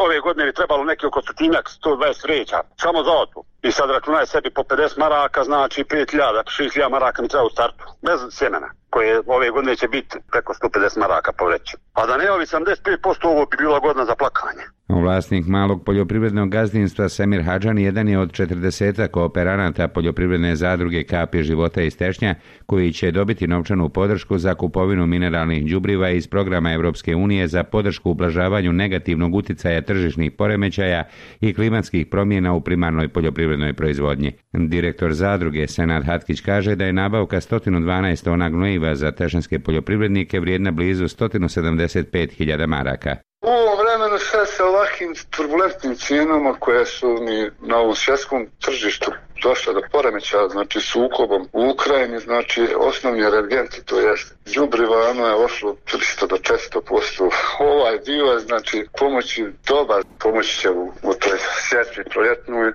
ove godine bi trebalo neki oko 120 vreća, samo za otpu. I sad računaj sebi po 50 maraka, znači 5.000 maraka mi treba u startu, bez sjemena, koje ove godine će biti preko 150 maraka po vreću. A da ne ovi 75%, ovo bi bila godina za plakanje. Vlasnik malog poljoprivrednog gazdinstva Semir Hadžan jedan je od 40 kooperanata poljoprivredne zadruge Kapi života iz Tešnja, koji će dobiti novčanu podršku za kupovinu mineralnih đubriva iz programa Evropske unije za podršku ublažavanju negativnog uticaja tržišnih poremećaja i klimatskih promjena u primarnoj poljoprivrednoj proizvodnji. Direktor zadruge Senad Hatkić kaže da je nabavka 112 tona gnojiva za tešnjanske poljoprivrednike vrijedna blizu 175.000 maraka. U ovom vremenu sve sa ovakvim turbulentnim cijenama koje su ni na ovom svjetskom tržištu došle do poremećaja, znači sukobom u Ukrajini, znači osnovni energenti, to jest đubriva, ono je ošlo 300 do 400%. Ovaj dio, znači pomoći dobar, pomoći će u toj sjetvi proljetnoj,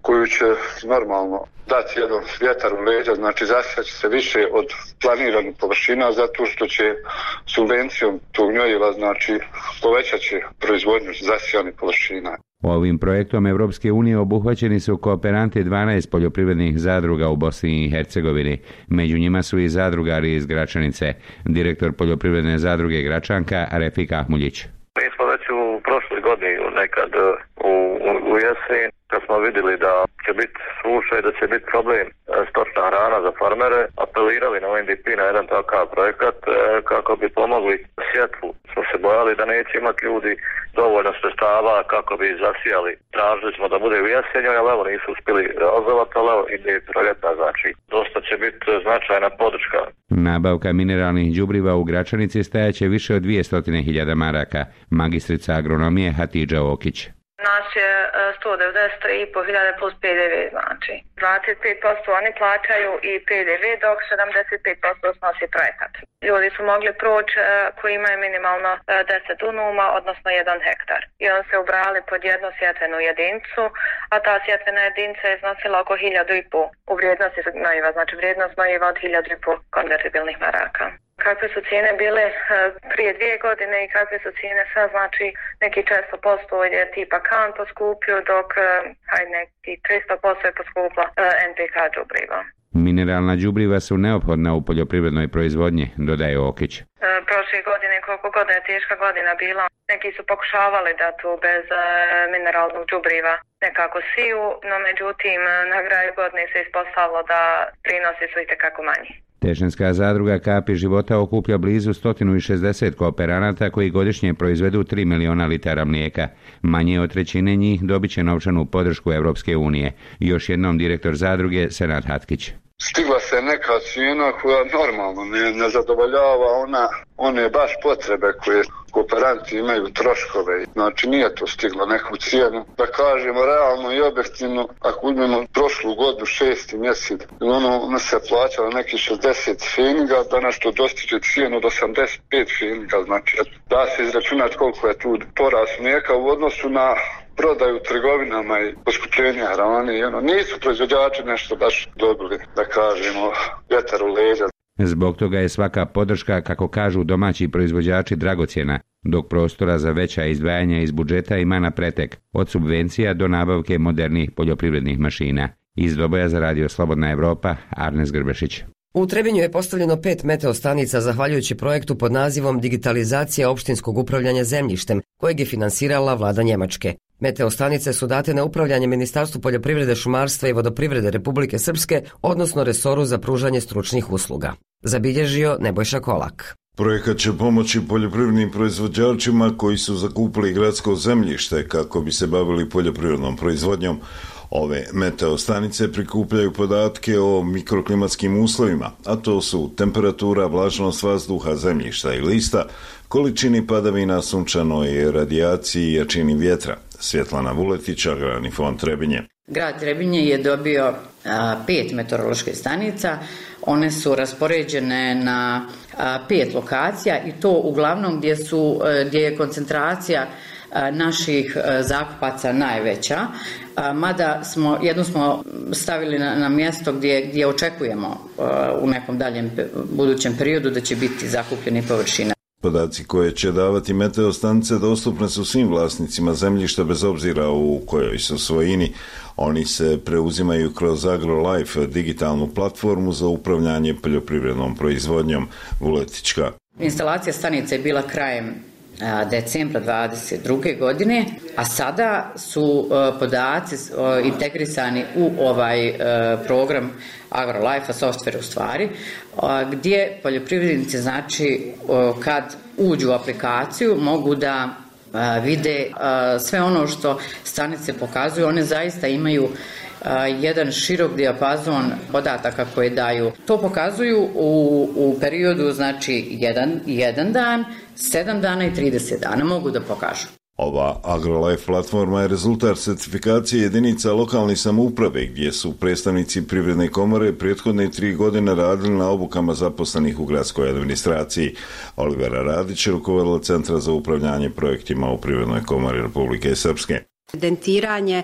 koju će normalno dati jedan vjetar u leđa, znači zasjeći se više od planiranih površina zato što će subvencijom tog gnojiva, znači povećat će proizvodnju zasjejanih površina. Ovim projektom Evropske unije obuhvaćeni su kooperanti 12 poljoprivrednih zadruga u Bosni i Hercegovini. Među njima su i zadrugari iz Gračanice. Direktor poljoprivredne zadruge Gračanka Refik Ahmuljić. Mi smo već u prošloj godini nekad u jesen, kad smo vidjeli da će biti suša i da će biti problem stočna hrana za farmere, apelirali na UNDP na jedan takav projekat kako bi pomogli sjetvu. Smo se bojali da neće imati ljudi dovoljno sredstava kako bi zasijali. Tražili smo da bude u jesenju, ali evo nisu uspjeli realizovati, ali evo ide proljetna, znači dosta će biti značajna podrška. Nabavka mineralnih đubriva u Gračanici stajaće više od 200.000 maraka. Magistrica agronomije Hatidža Okić. Nas je 193.500 plus PDV, znači 25% oni plaćaju i PDV, dok 75% snosi projekat. Ljudi su mogli proći koji imaju minimalno 10 dunuma, odnosno 1 hektar. I on se ubrali pod jednu sjetvenu jedinicu, a ta sjetvena jedinica je iznosila oko 1.500 u vrijednosti gnojiva, znači vrijednost gnojiva od 1.500 konvertibilnih maraka. Kakve su cijene bile prije 2 godine i kakve su cijene sad, znači neki 400% je tipa kan poskupio, dok neki 300% je poskupla NPK đubriva. Mineralna đubriva su neophodna u poljoprivrednoj proizvodnji, dodaje Okić. Prošle godine, koliko god je teška godina bila, neki su pokušavali da tu bez mineralnog đubriva nekako siju, no međutim na kraju godine se ispostavilo da prinosi su itekako manji. Tešnjska zadruga Kapi života okuplja blizu 160 kooperanata koji godišnje proizvedu 3 miliona litara mlijeka. Manje od trećine njih dobit će novčanu podršku Europske unije. Još jednom direktor zadruge Senad Hatkić. Stigla se neka cijena koja normalno ne zadovoljava one baš potrebe koje kooperanti imaju, troškove. Znači nije to stiglo neku cijenu. Da kažemo realno i objektivno, ako uzmemo prošlu godinu 6. mjesec, ono se plaćalo neki 60 feninga, danas to dostiže cijenu od 85 feninga. Znači da se izračunati koliko je tu porast mlijeka u odnosu na prodaju u trgovinama i poskupljenja hrane. Nisu proizvođači nešto baš dobili, da kažemo, vjetar u leđa. Zbog toga je svaka podrška, kako kažu domaći proizvođači, dragocjena, dok prostora za veća izdvajanja iz budžeta ima na pretek, od subvencija do nabavke modernih poljoprivrednih mašina. Iz Doboja za Radio Slobodna Evropa, Arnes Grbešić. U Trebinju je postavljeno 5 meteostanica zahvaljujući projektu pod nazivom Digitalizacija opštinskog upravljanja zemljištem, kojeg je finansirala vlada Njemačke. Meteostanice su date na upravljanje Ministarstvu poljoprivrede, šumarstva i vodoprivrede Republike Srpske, odnosno resoru za pružanje stručnih usluga. Zabilježio Nebojša Kolak. Projekat će pomoći poljoprivrednim proizvođačima koji su zakupili gradsko zemljište kako bi se bavili poljoprivrednom proizvodnjom. Ove meteostanice prikupljaju podatke o mikroklimatskim uslovima, a to su temperatura, vlažnost vazduha, zemljišta i lista, količini padavina, sunčanoj radijaciji i jačini vjetra. Svjetlana Vuletić, Agrarni fond Trebinje. Grad Trebinje je dobio 5 meteoroloških stanica. One su raspoređene na 5 lokacija i to uglavnom gdje je koncentracija naših zakupaca najveća, mada jednu smo stavili na mjesto gdje očekujemo u nekom daljem budućem periodu da će biti zakupljeni površina. Podaci koje će davati meteostanice dostupne su svim vlasnicima zemljišta bez obzira u kojoj su svojini. Oni se preuzimaju kroz AgroLife, digitalnu platformu za upravljanje poljoprivrednom proizvodnjom. Vuletička. Instalacija stanice je bila krajem decembra 2022. godine, a sada su podaci integrisani u ovaj program AgroLife, software u stvari, gdje poljoprivrednici, znači, kad uđu u aplikaciju mogu da vide sve ono što stanice pokazuju. One zaista imaju jedan širok dijapazon podataka koje daju. To pokazuju u periodu, znači, jedan dan, 7 dana i 30 dana mogu da pokažu. Ova AgroLife platforma je rezultat certifikacije jedinica lokalne samouprave gdje su predstavnici Privredne komore prethodne 3 godine radili na obukama zaposlenih u gradskoj administraciji. Olivera Radić je rukovodila Centra za upravljanje projektima u Privrednoj komori Republike Srpske. Evidentiranje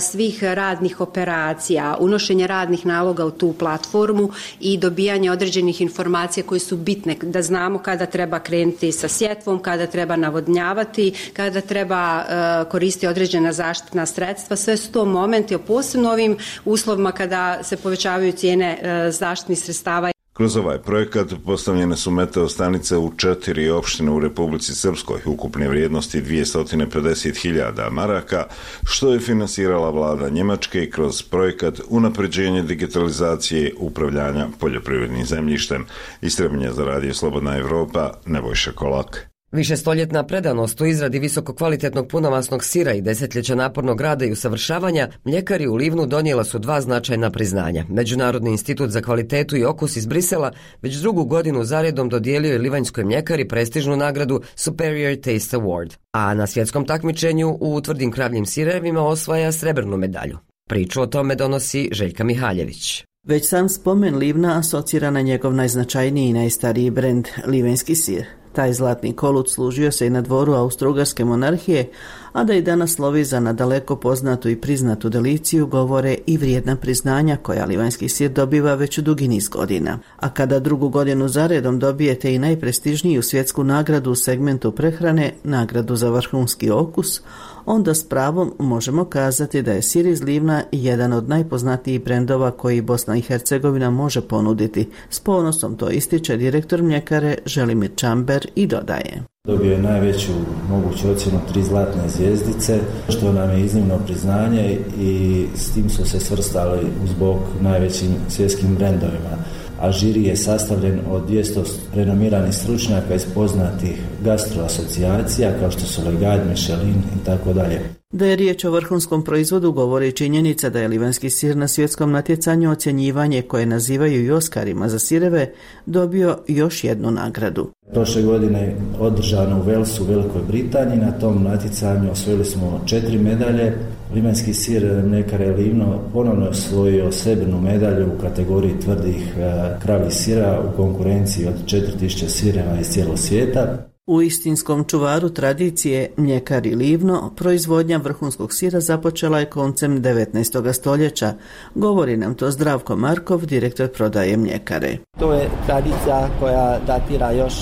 svih radnih operacija, unošenje radnih naloga u tu platformu i dobijanje određenih informacija koje su bitne, da znamo kada treba krenuti sa sjetvom, kada treba navodnjavati, kada treba koristiti određena zaštitna sredstva. Sve su to momenti, posebno ovim uslovima kada se povećavaju cijene zaštitnih sredstava. Kroz ovaj projekat postavljene su meteo stanice u 4 opštine u Republici Srpskoj, ukupne vrijednosti 250.000 maraka, što je finansirala vlada Njemačke kroz projekat unapređenje digitalizacije upravljanja poljoprivrednim zemljištem. Istrebljenje za Radio Slobodna Evropa, Nebojša Kolak. Višestoljetna predanost u izradi visokokvalitetnog punomasnog sira i desetljeća napornog rada i usavršavanja, mljekari u Livnu donijela su 2 značajna priznanja. Međunarodni institut za kvalitetu i okus iz Brisela već 2. godinu zaredom dodijelio je livanjskoj mljekari prestižnu nagradu Superior Taste Award, a na svjetskom takmičenju u tvrdim kravljim sirevima osvaja srebrnu medalju. Priču o tome donosi Željka Mihaljević. Već sam spomen Livna asocira na njegov najznačajniji i najstariji brend, livenjski sir. Taj zlatni kolut služio se i na dvoru Austro-Ugarske monarhije, a da i danas slovi za nadaleko poznatu i priznatu deliciju govore i vrijedna priznanja koja livanjski sir dobiva već dugi niz godina. A kada 2. godinu zaredom dobijete i najprestižniju svjetsku nagradu u segmentu prehrane, nagradu za vrhunski okus, onda s pravom možemo kazati da je sir iz Livna jedan od najpoznatijih brendova koji Bosna i Hercegovina može ponuditi. S ponosom to ističe direktor mljekare Želimir Čamber i dodaje. Dobio je najveću moguću ocjenu 3 zlatne zvjezdice, što nam je iznimno priznanje i s tim su se svrstali uz bok najvećim svjetskim brendovima. A žiri je sastavljen od 200 renomiranih stručnjaka iz poznatih gastroasocijacija kao što su Legat, Michelin i tako dalje. Da je riječ o vrhunskom proizvodu govori činjenica da je livanjski sir na svjetskom natjecanju ocjenjivanje koje nazivaju i Oskarima za sireve dobio još jednu nagradu. Prošle godine održano u Walesu u Velikoj Britaniji, na tom natjecanju osvojili smo 4 medalje. Livanjski sir mljekare Livno ponovno je osvojio srebrnu medalju u kategoriji tvrdih kravljih sira u konkurenciji od 4000 sireva iz cijelog svijeta. U istinskom čuvaru tradicije mljekari Livno proizvodnja vrhunskog sira započela je koncem 19. stoljeća. Govori nam to Zdravko Markov, direktor prodaje mljekare. To je tradicija koja datira još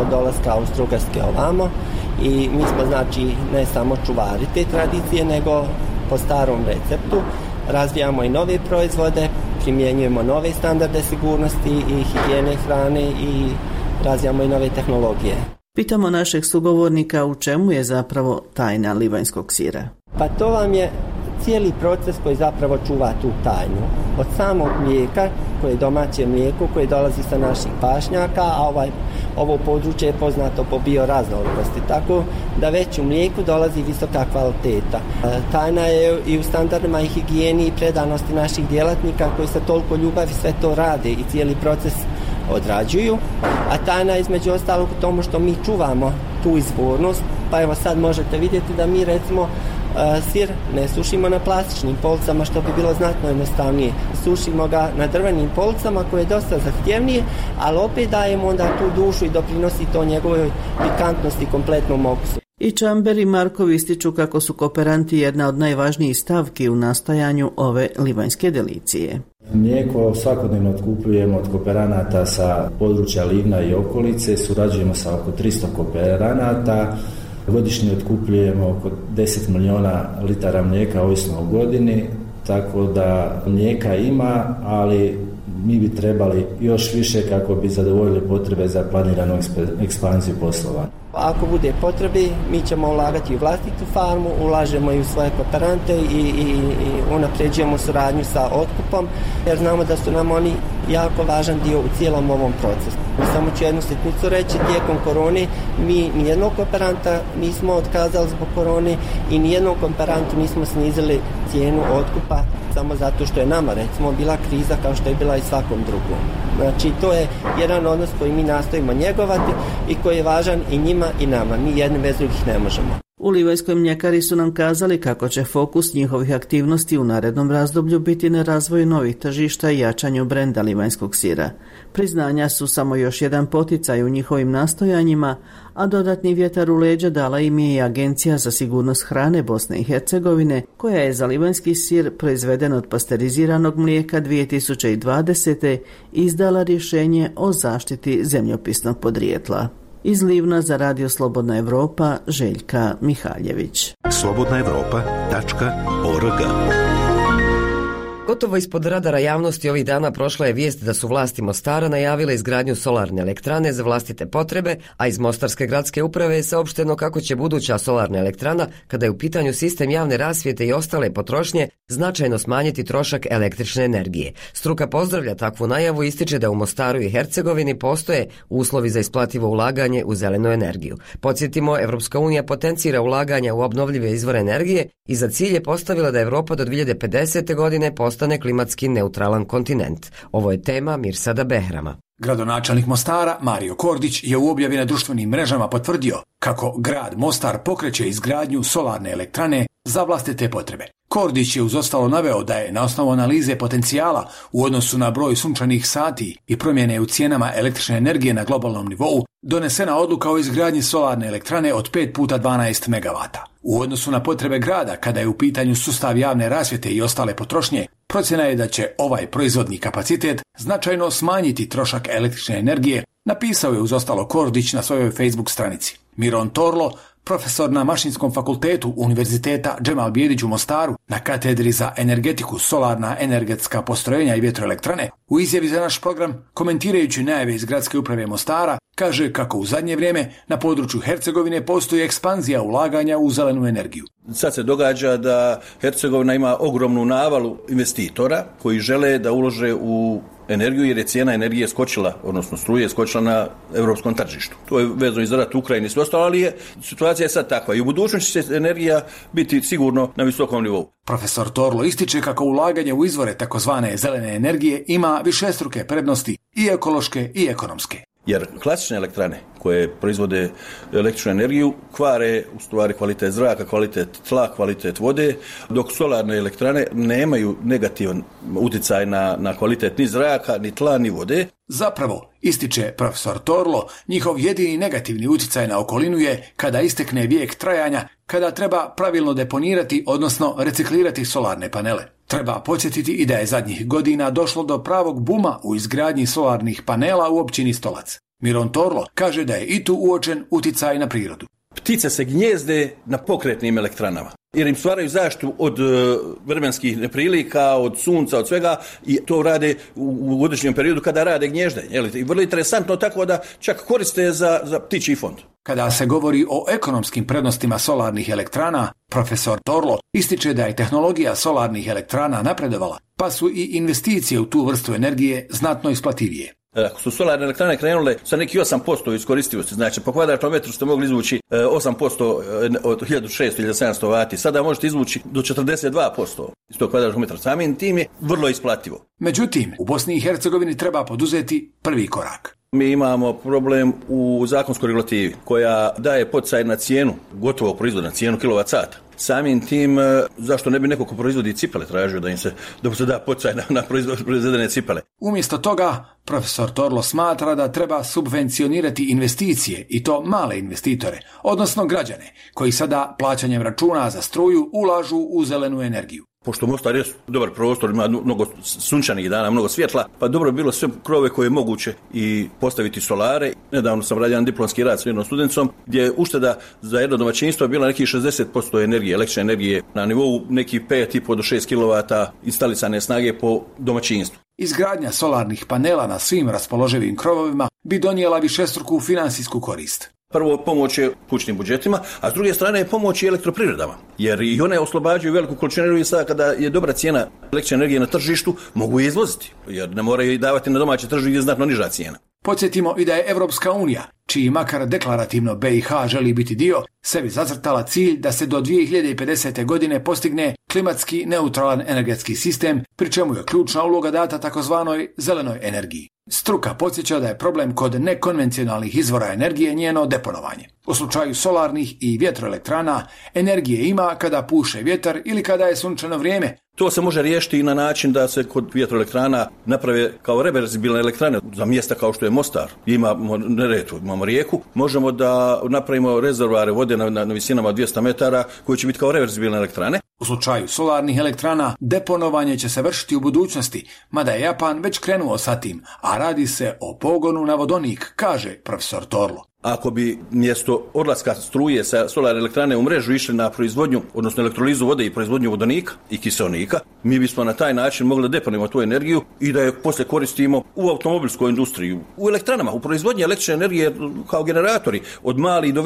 od dolaska Austro-Ugarske ovamo i mi smo znači ne samo čuvari te tradicije nego po starom receptu razvijamo i nove proizvode, primjenjujemo nove standarde sigurnosti i higijene hrane i razvijamo i nove tehnologije. Pitamo našeg sugovornika u čemu je zapravo tajna livanjskog sira. Pa to vam je cijeli proces koji zapravo čuva tu tajnu. Od samog mlijeka, koje je domaće mlijeko, koje dolazi sa naših pašnjaka, a ovo područje je poznato po bioraznolikosti, tako da već u mlijeku dolazi visoka kvaliteta. Tajna je i u standardima i higijeni i predanosti naših djelatnika koji sa toliko ljubavi sve to rade i cijeli proces odrađuju, a tajna je između ostalog u tomu što mi čuvamo tu izvornost, pa evo sad možete vidjeti da mi recimo sir ne sušimo na plastičnim policama što bi bilo znatno jednostavnije. Sušimo ga na drvenim policama koje je dosta zahtjevnije, ali opet dajemo onda tu dušu i doprinosi to njegovoj pikantnosti kompletnom okusu. I Čamber i Markov ističu kako su kooperanti jedna od najvažnijih stavki u nastajanju ove livanjske delicije. Mlijeko svakodnevno otkupljujemo od kooperanata sa područja Livna i okolice, surađujemo sa oko 300 kooperanata, godišnje otkupljujemo oko 10 milijuna litara mlijeka ovisno o godini, tako da mlijeka ima, ali mi bi trebali još više kako bi zadovoljili potrebe za planiranu ekspanziju poslovanja. Ako bude potrebi, mi ćemo ulagati u vlastitu farmu, ulažemo i u svoje kooperante i unapređujemo suradnju sa otkupom, jer znamo da su nam oni jako važan dio u cijelom ovom procesu. Samo ću jednu sitnicu reći, tijekom korone mi nijednog kooperanta nismo otkazali zbog korone i nijednom kooperantu nismo snizili cijenu otkupa samo zato što je nama recimo bila kriza kao što je bila i svakom drugom. Znači to je jedan odnos koji mi nastojimo njegovati i koji je važan i njima i nama. Mi jedni bez drugih ne možemo. U Livajskoj mljekari su nam kazali kako će fokus njihovih aktivnosti u narednom razdoblju biti na razvoju novih tržišta i jačanju brenda livanjskog sira. Priznanja su samo još jedan poticaj u njihovim nastojanjima, a dodatni vjetar u leđa dala im je i Agencija za sigurnost hrane Bosne i Hercegovine, koja je za livanjski sir proizveden od pasteriziranog mlijeka 2020. izdala rješenje o zaštiti zemljopisnog podrijetla. Iz Livna za Radio Slobodna Evropa, Željka Mihaljević. slobodnaevropa.org Gotovo ispod radara javnosti ovih dana prošla je vijest da su vlasti Mostara najavile izgradnju solarne elektrane za vlastite potrebe, a iz Mostarske gradske uprave je saopšteno kako će buduća solarna elektrana, kada je u pitanju sistem javne rasvjete i ostale potrošnje, značajno smanjiti trošak električne energije. Struka pozdravlja takvu najavu i ističe da u Mostaru i Hercegovini postoje uslovi za isplativo ulaganje u zelenu energiju. Podsjetimo, Evropska unija potencira ulaganja u obnovljive izvore energije i za cilj je postavila da Evropa do 2050. godine postane klimatski neutralan kontinent. Ovo je tema Mirsada Behrama. Gradonačelnik Mostara Mario Kordić je u objavi na društvenim mrežama potvrdio kako grad Mostar pokreće izgradnju solarne elektrane za vlastite potrebe. Kordić je uz ostalo naveo da je na osnovu analize potencijala u odnosu na broj sunčanih sati i promjene u cijenama električne energije na globalnom nivou donesena odluka o izgradnji solarne elektrane od 5 puta 12 megavata. U odnosu na potrebe grada, kada je u pitanju sustav javne rasvjete i ostale potrošnje, procjena je da će ovaj proizvodni kapacitet značajno smanjiti trošak električne energije, napisao je uz ostalo Kordić na svojoj Facebook stranici. Miron Torlo, profesor na Mašinskom fakultetu Univerziteta Džemal Bijedić u Mostaru na katedri za energetiku, solarna energetska postrojenja i vjetroelektrane, u izjavi za naš program, komentirajući najave iz Gradske uprave Mostara, kaže kako u zadnje vrijeme na području Hercegovine postoji ekspanzija ulaganja u zelenu energiju. Sad se događa da Hercegovina ima ogromnu navalu investitora koji žele da ulože u energiju jer je cijena energije skočila, odnosno struje skočila na europskom tržištu. To je vezano i za rat u Ukrajini i sve ostalo, ali situacija je sad takva i u budućnosti će energija biti sigurno na visokom nivou. Profesor Torlo ističe kako ulaganje u izvore takozvane zelene energije ima višestruke prednosti i ekološke i ekonomske. Jer klasične elektrane koje proizvode električnu energiju kvare u stvari kvalitet zraka, kvalitet tla, kvalitet vode, dok solarne elektrane nemaju negativan utjecaj na kvalitet ni zraka, ni tla, ni vode. Zapravo, ističe profesor Torlo, njihov jedini negativni utjecaj na okolinu je kada istekne vijek trajanja, kada treba pravilno deponirati, odnosno reciklirati solarne panele. Treba podsjetiti i da je zadnjih godina došlo do pravog buma u izgradnji solarnih panela u općini Stolac. Miron Torlo kaže da je i tu uočen utjecaj na prirodu. Ptice se gnjezde na pokretnim elektranama jer im stvaraju zaštitu od vremenskih neprilika, od sunca, od svega i to rade u određenom periodu kada rade gnježdenje. I vrlo interesantno tako da čak koriste za ptičji fond. Kada se govori o ekonomskim prednostima solarnih elektrana, profesor Torlo ističe da je tehnologija solarnih elektrana napredovala, pa su i investicije u tu vrstu energije znatno isplativije. Ako su solarne elektrane krenule sa neki 8% iskoristivosti, znači po kvadratnom metru ste mogli izvući 8% od 1600-1700 vati, sada možete izvući do 42% iz tog kvadratnog metra. Samim tim je vrlo isplativo. Međutim, u Bosni i Hercegovini treba poduzeti prvi korak. Mi imamo problem u zakonskoj regulativi koja daje poticaj na cijenu gotovog proizvoda, na cijenu kilovat-sata. Samim tim, zašto ne bi neko ko proizvodi cipele tražio da mu se da poticaj na proizvedene cipele? Umjesto toga, profesor Torlo smatra da treba subvencionirati investicije i to male investitore, odnosno građane, koji sada plaćanjem računa za struju ulažu u zelenu energiju. Pošto Mostar je dobar prostor, ima mnogo sunčanih dana, mnogo svjetla, pa dobro bi bilo sve krove koje je moguće i postaviti solare. Nedavno sam radio jedan diplomski rad s jednom studencom gdje je ušteda za jedno domaćinstvo bila nekih 60% energije, električne energije na nivou nekih 5,5 do 6 kW instalisane snage po domaćinstvu. Izgradnja solarnih panela na svim raspoloživim krovovima bi donijela višestruku finansijsku korist. Prvo, pomoć je kućnim budžetima, a s druge strane pomoć i elektroprivredama, jer i one oslobađaju veliku količinu energije sada kada je dobra cijena električne energije na tržištu, mogu je izvoziti, jer ne moraju i davati na domaće tržište gdje je znatno niža cijena. Podsjetimo i da je Evropska unija, čiji makar deklarativno BiH želi biti dio, sebi zacrtala cilj da se do 2050. godine postigne klimatski neutralan energetski sistem, pri čemu je ključna uloga data takozvanoj zelenoj energiji. Struka podsjeća da je problem kod nekonvencionalnih izvora energije njeno deponovanje. U slučaju solarnih i vjetroelektrana energije ima kada puše vjetar ili kada je sunčano vrijeme. To se može riješiti i na način da se kod vjetroelektrana naprave kao reverzibilne elektrane za mjesta kao što je Mostar. Imamo Neretvu, imamo rijeku. Možemo da napravimo rezervoare vode na visinama 200 metara koji će biti kao reverzibilne elektrane. U slučaju solarnih elektrana deponovanje će se vršiti u budućnosti, mada je Japan već krenuo sa tim, a radi se o pogonu na vodonik, kaže profesor Torlo. Ako bi mjesto odlaska struje sa solarne elektrane u mrežu išli na proizvodnju, odnosno elektrolizu vode i proizvodnju vodonika i kiseonika, mi bismo na taj način mogli deponirati tu energiju i da je poslije koristimo u automobilskoj industriji, u elektranama, u proizvodnji električne energije kao generatori, od malih do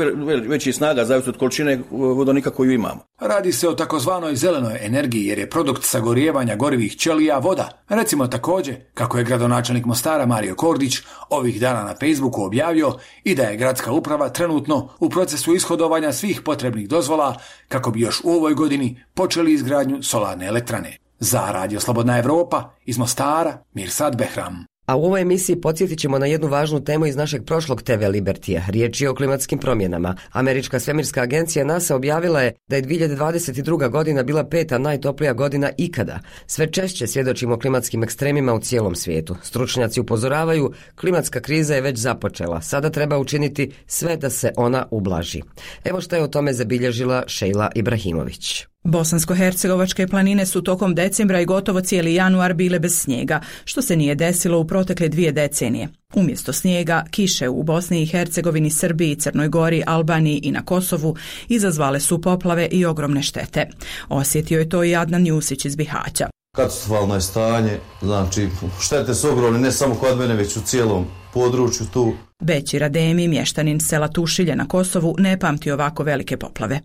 većih snaga, zavisno od količine vodonika koju imamo. Radi se o takozvanoj zelenoj energiji jer je produkt sagorijevanja gorivih ćelija voda. Recimo također, kako je gradonačelnik Mostara Mario Kordić ovih dana na Facebooku objavio i da je gradska uprava trenutno u procesu ishodovanja svih potrebnih dozvola kako bi još u ovoj godini počeli izgradnju solarne elektrane. Za Radio Slobodna Evropa iz Mostara, Mirsad Behram. A u ovoj emisiji podsjetit ćemo na jednu važnu temu iz našeg prošlog TV Libertija. Riječ je o klimatskim promjenama. Američka svemirska agencija NASA objavila je da je 2022. godina bila 5. najtoplija godina ikada. Sve češće svjedočimo klimatskim ekstremima u cijelom svijetu. Stručnjaci upozoravaju, klimatska kriza je već započela. Sada treba učiniti sve da se ona ublaži. Evo što je o tome zabilježila Šejla Ibrahimović. Bosansko-hercegovačke planine su tokom decembra i gotovo cijeli januar bile bez snijega, što se nije desilo u protekle 2 decenije. Umjesto snijega, kiše u Bosni i Hercegovini, Srbiji, Crnoj Gori, Albaniji i na Kosovu izazvale su poplave i ogromne štete. Osjetio je to i Adnan Jusić iz Bihaća. Katastrofalno je stanje, znači štete su ogromne ne samo kod mene, već u cijelom području tu. Bećir Ademi, mještanin sela Tušilje na Kosovu, ne pamti ovako velike poplave.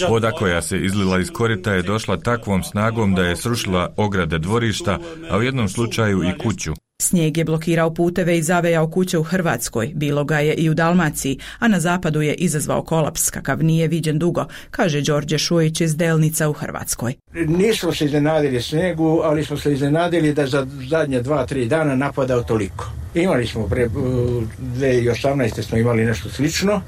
Voda koja se izlila iz korita je došla takvom snagom da je srušila ograde dvorišta, a u jednom slučaju i kuću. Snijeg je blokirao puteve i zavejao kuće u Hrvatskoj, bilo ga je i u Dalmaciji, a na zapadu je izazvao kolaps kakav nije viđen dugo, kaže Đorđe Šujić iz Delnica u Hrvatskoj. Nismo se iznenadili snijegu, ali smo se iznenadili da za zadnje 2-3 dana napadao toliko. Imali smo 2018. smo imali nešto slično,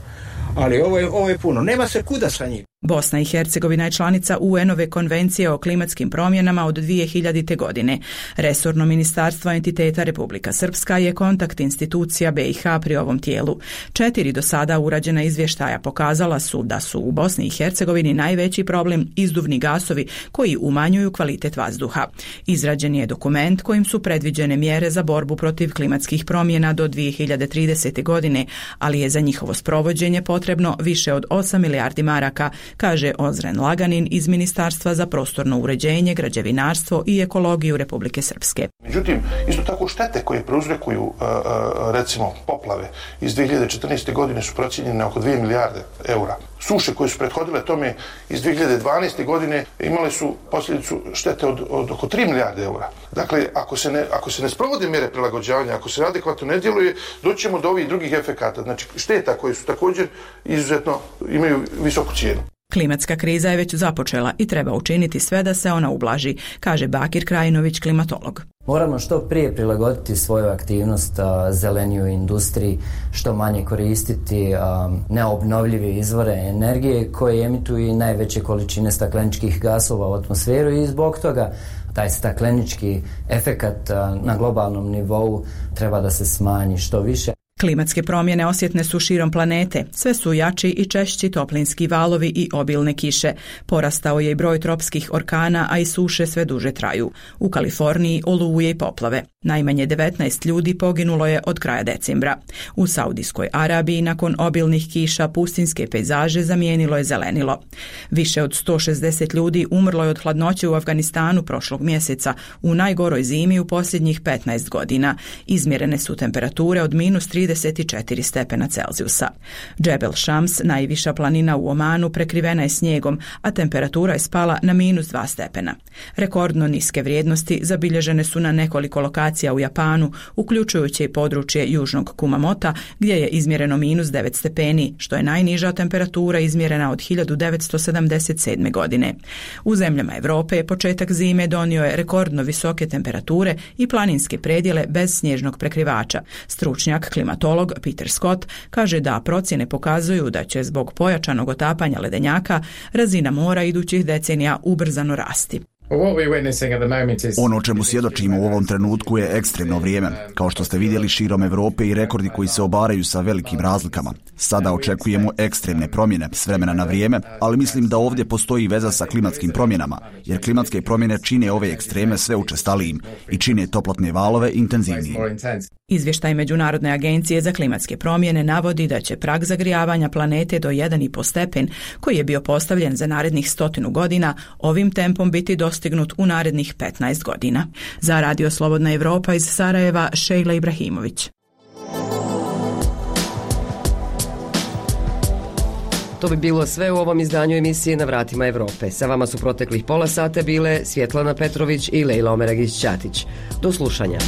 ali ovo je puno. Nema se kuda sa njim. Bosna i Hercegovina je članica UN-ove konvencije o klimatskim promjenama od 2000. godine. Resorno ministarstvo entiteta Republika Srpska je kontakt institucija BiH pri ovom tijelu. 4 do sada urađena izvještaja pokazala su da su u Bosni i Hercegovini najveći problem izduvni gasovi koji umanjuju kvalitet vazduha. Izrađen je dokument kojim su predviđene mjere za borbu protiv klimatskih promjena do 2030. godine, ali je za njihovo sprovođenje potrebno više od 8 milijardi maraka, kaže Ozren Laganin iz Ministarstva za prostorno uređenje, građevinarstvo i ekologiju Republike Srpske. Međutim, isto tako štete koje prouzrokuju recimo poplave iz 2014. godine su procijenjene oko 2 milijarde eura. Suše koje su prethodile tome iz 2012. godine imale su posljedicu štete od oko 3 milijarde eura. Dakle, ako se ne sprovode mjere prilagođavanja, ako se adekvatno ne djeluje, doći ćemo do ovih drugih efekata. Znači, šteta koje su također izuzetno imaju visoku cijenu. Klimatska kriza je već započela i treba učiniti sve da se ona ublaži, kaže Bakir Krajinović, klimatolog. Moramo što prije prilagoditi svoju aktivnost zeleniju industriji, što manje koristiti neobnovljive izvore energije koje emituju najveće količine stakleničkih gasova u atmosferu i zbog toga taj staklenički efekat na globalnom nivou treba da se smanji što više. Klimatske promjene osjetne su širom planete, sve su jači i češći toplinski valovi i obilne kiše. Porastao je i broj tropskih orkana, a i suše sve duže traju. U Kaliforniji oluje i poplave. Najmanje 19 ljudi poginulo je od kraja decembra. U Saudijskoj Arabiji nakon obilnih kiša pustinske pejzaže zamijenilo je zelenilo. Više od 160 ljudi umrlo je od hladnoće u Afganistanu prošlog mjeseca, u najgoroj zimi u posljednjih 15 godina. Izmjerene su temperature od -34 stepena Celzijusa. Džebel Šams, najviša planina u Omanu, prekrivena je snijegom, a temperatura je spala na -2 stepena. Rekordno niske vrijednosti zabilježene su na nekoliko lokacija u Japanu, uključujući i područje južnog Kumamota, gdje je izmjereno -9 stepeni, što je najniža temperatura izmjerena od 1977. godine. U zemljama Europe početak zime donio je rekordno visoke temperature i planinske predjele bez snježnog prekrivača. Stručnjak klimatolog Peter Scott kaže da procjene pokazuju da će zbog pojačanog otapanja ledenjaka razina mora idućih decenija ubrzano rasti. Ono o čemu svjedočimo u ovom trenutku je ekstremno vrijeme, kao što ste vidjeli širom Europe i rekordi koji se obaraju sa velikim razlikama. Sada očekujemo ekstremne promjene s vremena na vrijeme, ali mislim da ovdje postoji veza sa klimatskim promjenama, jer klimatske promjene čine ove ekstreme sve učestalijim i čine toplotne valove intenzivnijim. Izvještaj Međunarodne agencije za klimatske promjene navodi da će prag zagrijavanja planete do 1,5 stepen, koji je bio postavljen za narednih 100 godina, ovim tempom biti dostignut u narednih 15 godina. Za Radio Slobodna Evropa iz Sarajeva, Šejla Ibrahimović. To bi bilo sve u ovom izdanju emisije Na vratima Evrope. Sa vama su proteklih pola sata bile Svjetlana Petrović i Lejla Omeragić-Ćatić. Do slušanja.